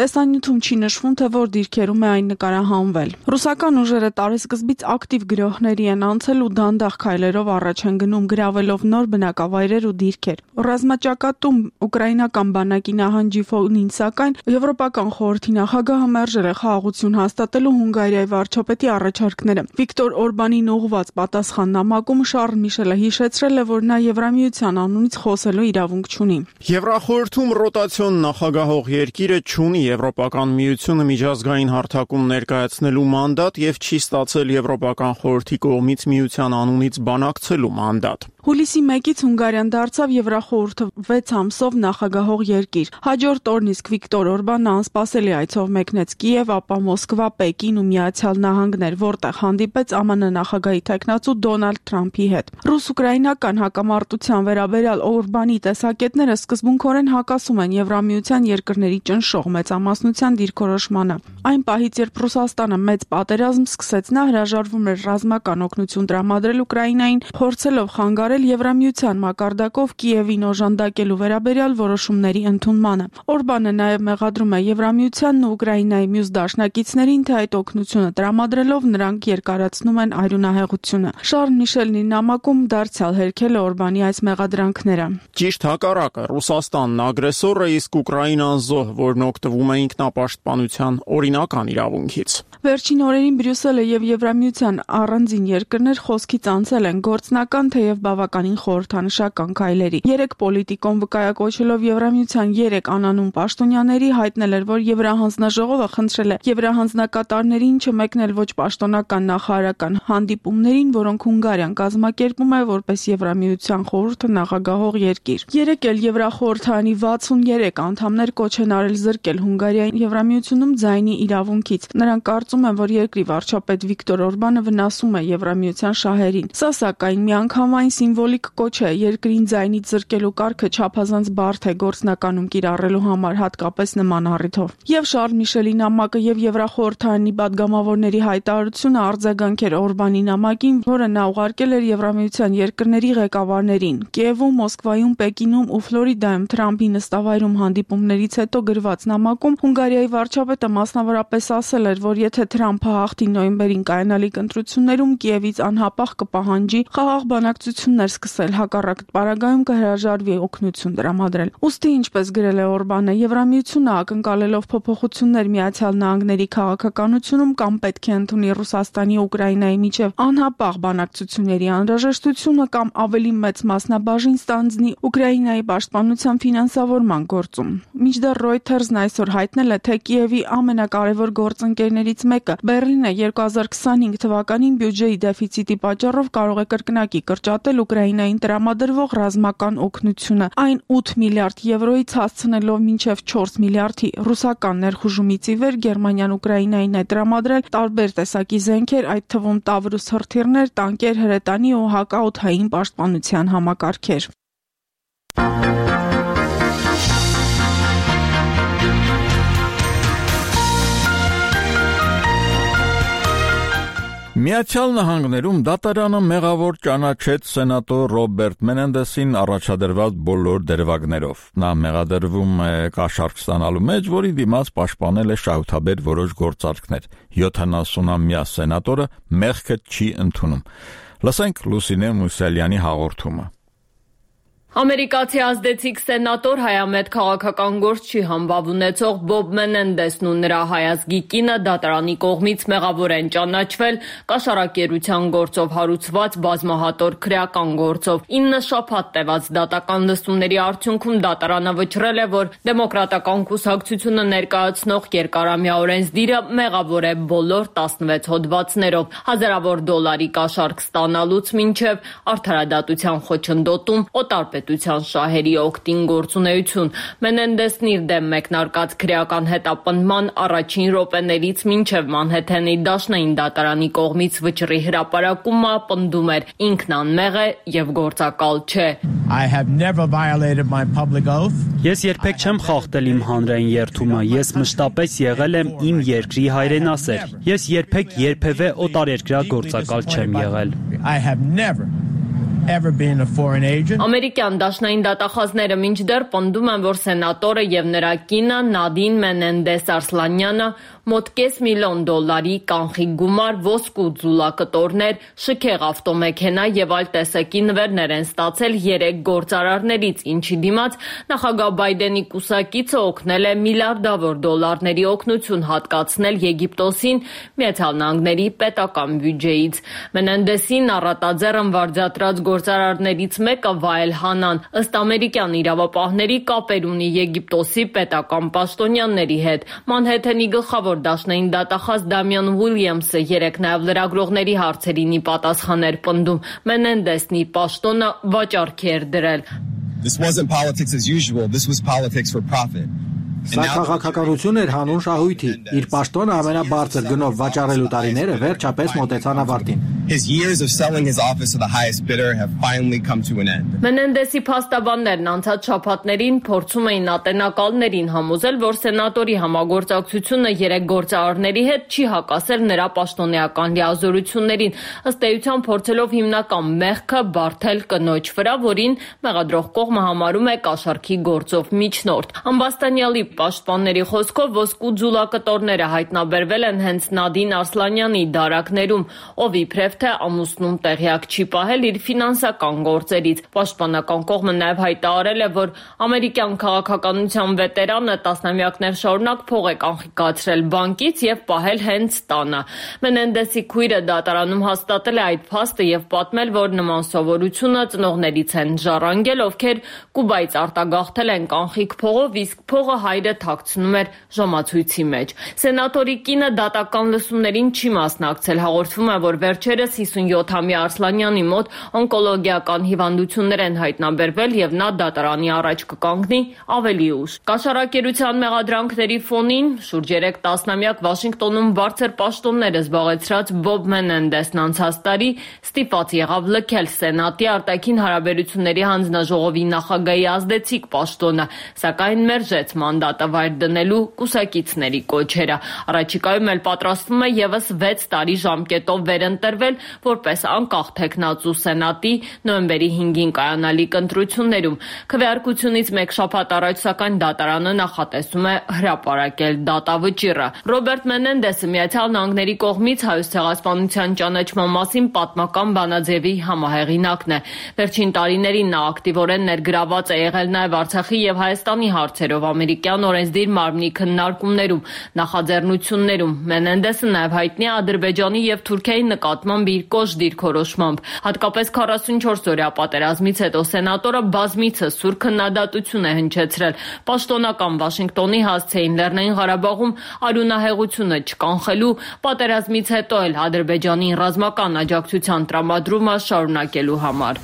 Տեսանյութում չի նշվում, թե որ դիրքերում է այն նկարահանվել։ Ռուսական ուժերը տարեսկզբից ակտիվ գրոհների են անցել ու դանդաղ քայլերով առաջ են գնում, գրավելով նոր բնակավայրեր ու դիրքեր։ Ռազմաճակատում ուկրաինական բանակի նահանջի ֆոնին, սակայն Եվրոպական խորհրդի նախագահը մերժել է խաղաղություն հաստատելու Հունգարիայի վարչապետի առաջարկները։ Վիկտոր Օրբանին ուղղված պատասխան նամակում Շարլ Միշելը հիշեցրել է, որ նա Եվրամիության անունից խոսելու իրավունք չունի։ Եվրախորհրդում ռոտացիոն նախագահող երկիրը չունի Եվրոպական միությունը միջազգային հարթակում ներկայացնելու մանդատ եւ չի ստացել Եվրոպական խորհրդի կողմից միության անունից բանակցելու մանդատ։ Հուլիսի մեկից Հունգարիան դարձավ Եվրախորհրդը վեց ամսով նախագահող երկիր։ Հաջորդ օրն իսկ Վիկտոր Օրբանը անսպասելի այցով մեկնեց Կիև, ապա Մոսկվա, Պեկին ու Միացյալ Նահանգներ, որտեղ հանդիպեց ԱՄՆ նախագահի թեկնածու Դոնալդ Թրամփի հետ։ Ռուս-ուկրաինական հակամարտության վերաբերյալ Օրբանի տեսակետները սկզբունքորեն հակասում են Եվրամիության երկրների ճնշող մեծամասնության դիրքորոշմանը։ Այն պահից, երբ Ռուսաստանը մեծ պատերազմ սկսեց, նա հրաժարվում էր ռազմական օգնություն տրամադրել Ուկրաինային, փորձելով խանգարել Եվրամիության մակարդակով Կիևին օժանդակելու վերաբերյալ որոշումների ընդունմանը։ Օրբանը նաև մեղադրում է Եվրամիությանն ու Ուկրաինայի մյուս դաշնակիցներին, թե այդ օգնությունը տրամադրելով նրանք երկարացնում են արյունահեղությունը։ Շարլ Միշելն իր նամակում դարձյալ հերքել է Օրբանի այս մեղադրանքները։ Ճիշտ հակառակը, Ռուսաստանն ագրեսոր է, իսկ Ուկրաինան զոհ, որն օգտվում է ինքնապաշտպանության օրինական իրավունքից։ Վերջին օրերին Բրյուսելը եւ Եվրամիության առանձին երկրներ խոսքից անցել են գործնական թեև բավականին խորհրդանշական քայլերի։ Երեք պոլիտիկոն վկայակոչելով Եվրամիության երեք անանուն պաշտոնյաների հայտնել էր, որ Եվրահանձնաժողովը խնդրել է Եվրահանձնակատարներին չմեկնել ոչ պաշտոնական նախարարական հանդիպումներին, որոնք Հունգարիան կազմակերպում է որպես Եվրամիության խորհուրդը նախագահող երկիր։ Երեք էլ Եվրախորհրդանի վաթսուններեք անդամներ կոչ են արել զրկել Հունգարիային Եվրամիությունում ձայնի իրավունքից։ Նրանք կարծում են, որ երկրի վարչապետ Վիկտոր Օրբանը վնասում է Եվրամիության շահերին։ Սա սակայն միանգամայն սիմվոլիկ կոչ է երկրին ձայնից զրկել ուղարկելու կարգը չափազանց բարդ է գործնականում կիրառելու համար, հատկապես նման առիթով։ Եվ Շարլ Միշելի նամակը եւ Եվրախորհրդարանի պատգամավորների հայտարարությունը արձագանք էր Օրբանի նամակին, որը նա ուղարկել էր Եվրամիության երկրների ղեկավարներին։ Կիևում, Մոսկվայում, Պեկինում ու Ֆլորիդայում Թրամփի նստավայրում հանդիպումներից հետո գրված նամակում Հունգարիայի վարչապետը մասնավորապես ասել էր, որ եթե Թրամփը հաղթի նոյեմբերին կայանալիք ընտրություններում, Կիևից անհապաղ կպահանջի խաղաղ բանակցություններ սկսել, հակառակ պարագայում կհրաժարվի օգնություն տրամադրել։ Ուստի, ինչպես գրել է Օրբանը, Եվրամիությունը ակնկալելով փոփոխություններ Միացյալ Նահանգների քաղաքականությունում կամ պետք է ընդունի Ռուսաստանի ու Ուկրաինայի միջև անհապաղ բանակցությունների անհրաժեշտությունը կամ ավելի մեծ մասնաբաժին ստանձնի Ուկրաինայի պաշտպանության ֆինանսավորման գործում։ Մինչդեռ Reuters-ն այսօր հայտնել է, թե Կիևի ամենակարևոր գործընկերներից մեկը Բեռլինը երկու հազար քսանհինգ թվականին բյուջեի դեֆիցիտի պատճառով կարող է կրկնակի կրճատել Ուկրաինային տրամադրվող ռազմական օգնությունը, այն ութ միլիարդ եվրոից հասցնելով մինչև չորս միլիարդի։ Ռուսական ներխուժումից ի վեր Գերմանիան Ուկրաինային է տրամադրել տարբեր տեսակի զենքեր, այդ թվում Տավրուս հրթիռներ, տանկեր, հրետանի ու հակաօդային պաշտպանության համակարգեր։ Միացյալ Նահանգներում դատարանը մեղավոր ճանաչեց սենատոր Ռոբերտ Մենենդեսին առաջադրված բոլոր դերվագներով։ Նա մեղադրվում է կաշառք ստանալու մեջ, որի դիմաց պաշտպանել է շահութաբեր որոշ գործարքներ։ յոթանասունամյա սենատորը մեղքը չի ընդունում։ Լսենք Լուսինե Մուսալյանի հաղորդումը։ Ամերիկացի ազդեցիկ սենատոր հայամետ քաղաքական գործչի համբավ ունեցող Բոբ Մենենդեսն ու նրա հայազգի կինը դատարանի կողմից մեղավոր են ճանաչվել կաշառակերության գործով հարուցված բազմահատոր քրեական գործով։ ինը շաբաթ տևած դատական լսումների արդյունքում դատարանը վճռել է, որ դեմոկրատական կուսակցությունը ներկայացնող երկարամյա օրենսդիրը մեղավոր է բոլոր տասնվեց հոդվածներով, հազարավոր դոլարի կաշառք ստանալուց մինչև արդարադատության խոչընդոտում, օտարպետության շահերի օգտին գործունեություն։ Մենենդեսն իր դեմ մեկնարկած քրեական հետապնդման առաջին րոպեներից մինչև Մանհեթենի դաշնային դատարանի կողմից վճռի հրապարակումը պնդում էր ինքն անմեղ է եւ գործակալ չէ։ Ես երբեք չեմ խախտել իմ հանրային երդումը, ես մշտապես եղել եմ իմ երկրի հայրենասեր։ Ես երբեք երբևէ օտարերկրյա գործակալ չեմ եղել։ Ամերիկյան դաշնային դատախազները մինչդեռ պնդում են, որ սենատորը եւ նրա կինը Նադին Մենենդես Արսլանյանը մոտ կես միլիոն դոլարի կանխիկ գումար, ոսկու ձուլակտորներ, շքեղ ավտոմեքենա եւ այլ տեսակի նվերներ են ստացել երեք գործարարներից, ինչի դիմաց նախագահ Բայդենի կուսակիցը օգնել է միլիարդավոր դոլարների օգնություն հատկացնել Եգիպտոսին Միացյալ Նահանգների պետական բյուջեից։ Մենենդեսին առատաձեռն վարձատրած գործարարներից մեկը Վայել Հանան ըստ ամերիկյան իրավապահների կապեր ունի Եգիպտոսի պետական պաշտոնյաների հետ։ Մանհեթենի գլխավոր դաշնային դատախազ Դամիան Ուիլյամսը երեկ նաև լրագրողների հարցերին ի պատասխան էր պնդում Մենենդեսն իր պաշտոնը վաճառքի էր դրել։ This wasn't politics as usual, this was politics for profit. Սա քաղաքականություն էր հանուն շահույթի։ Իր պաշտոնը ամենաբարձր գնով վաճառելու տարիները վերջապես մոտեցան ավարտին։ His years of selling his office to the highest bidder have finally come to an end. Մենենդեսի փաստաբաններն անցած շաբաթներին փորձում էին ատենակալներին համոզել, որ սենատորի համագործակցությունը երեք գործարարների հետ չի հակասել նրա պաշտոնեական լիազորություններին, ըստ էության փորձելով հիմնական մեղքը բարթել կնոջ վրա, որին մեղադրող կողմը համարում է կաշառքի գործով միջնորդ։ Ամբաստանյալի պաշտպանների խոսքով ոսկու ձուլակտորները հայտնաբերվել են հենց Նադին Արսլանյանի դարակներում, ով իբրև թե ամուսնում տեղյակ չի պահել իր ֆինանսական գործերից։ Պաշտպանական կողմը նաև հայտարարել է, որ ամերիկյան քաղաքականության վետերանը տասնամյակներ շարունակ փող է կանխիկացրել բանկից եւ պահել հենց տանը։ Մենենդեսի քույրը դատարանում հաստատել է այդ փաստը եւ պատմել, որ նման սովորությունը ծնողներից են ժառանգել, ովքեր Կուբայից արտագաղթել են կանխիկ փողով, իսկ փողը հայրը թաքցնում էր ժամացույցի մեջ։ Սենատորի կինը դատական լսումներին չի մասնակցել, հաղորդվում է, որ վերջերս Հատկապես հիսունյոթամյա Արսլանյանի մոտ օնկոլոգիական հիվանդություններ են հայտնաբերվել եւ նա դատարանի առաջ կկանգնի ավելի ուշ։ Կաշառակերության մեղադրանքների ֆոնին շուրջ երեք տասնամյակ Վաշինգտոնում բարձր պաշտոններ զբաղեցրած Բոբ Մենենդեսն անցած տարի ստիպված եղավ լքել Սենատի արտաքին հարաբերությունների հանձնաժողովի նախագահի ազդեցիկ պաշտոնը, սակայն մերժեց մանդատը վայր դնելու կուսակիցների կոչերը։ Առաջիկայում էլ պատրաստվում է եւս վեց տարի ժամկետով վերընտրվել որպես անկախ թեկնածու Սենատի նոյեմբերի հինգին կայանալիք ընտրություններում։ Քվեարկությունից մեկ շաբաթ առաջ սակայն դատարանը նախատեսում է հրապարակել դատավճիռը։ Ռոբերտ Մենենդեսը Միացյալ Նահանգների կողմից Հայոց ցեղասպանության ճանաչման մասին պատմական բանաձևի համահեղինակն է։ Վերջին տարիներին նա ակտիվորեն ներգրաված է եղել նաև Արցախի եւ Հայաստանի հարցերով ամերիկյան օրենսդիր մարմնի քննարկումներում, նախաձեռնություններում։ Մենենդեսը նաև հայտնի է Ադրբեջանի եւ Թուրքիայի նկատմամբ իր կոշտ դիրքորոշմամբ։ Հատկապես քառասունչորս օրյա պատերազմից հետո սենատորը բազմիցս սուր քննադատություն է հնչեցրել պաշտոնական Վաշինգտոնի հասցեին Լեռնային Ղարաբաղում արյունահեղությունը չկանխելու, պատերազմից հետո էլ Ադրբեջանի ռազմական աջակցության տրամադրումը շարունակելու համար։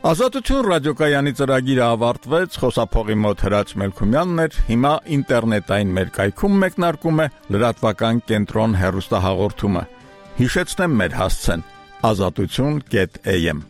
Ազատություն ռադիոկայանի ծրագիրը ավարտվեց, խոսափողի մոտ Հրաչ Մելքումյանն էր, հիմա ինտերնետային մեր կայքում մեկնարկում է լրատվական կենտրոն հեռուստահաղորդումը։ Հիշեցնեմ մեր հասցեն՝ ազատություն կետ էյ էմ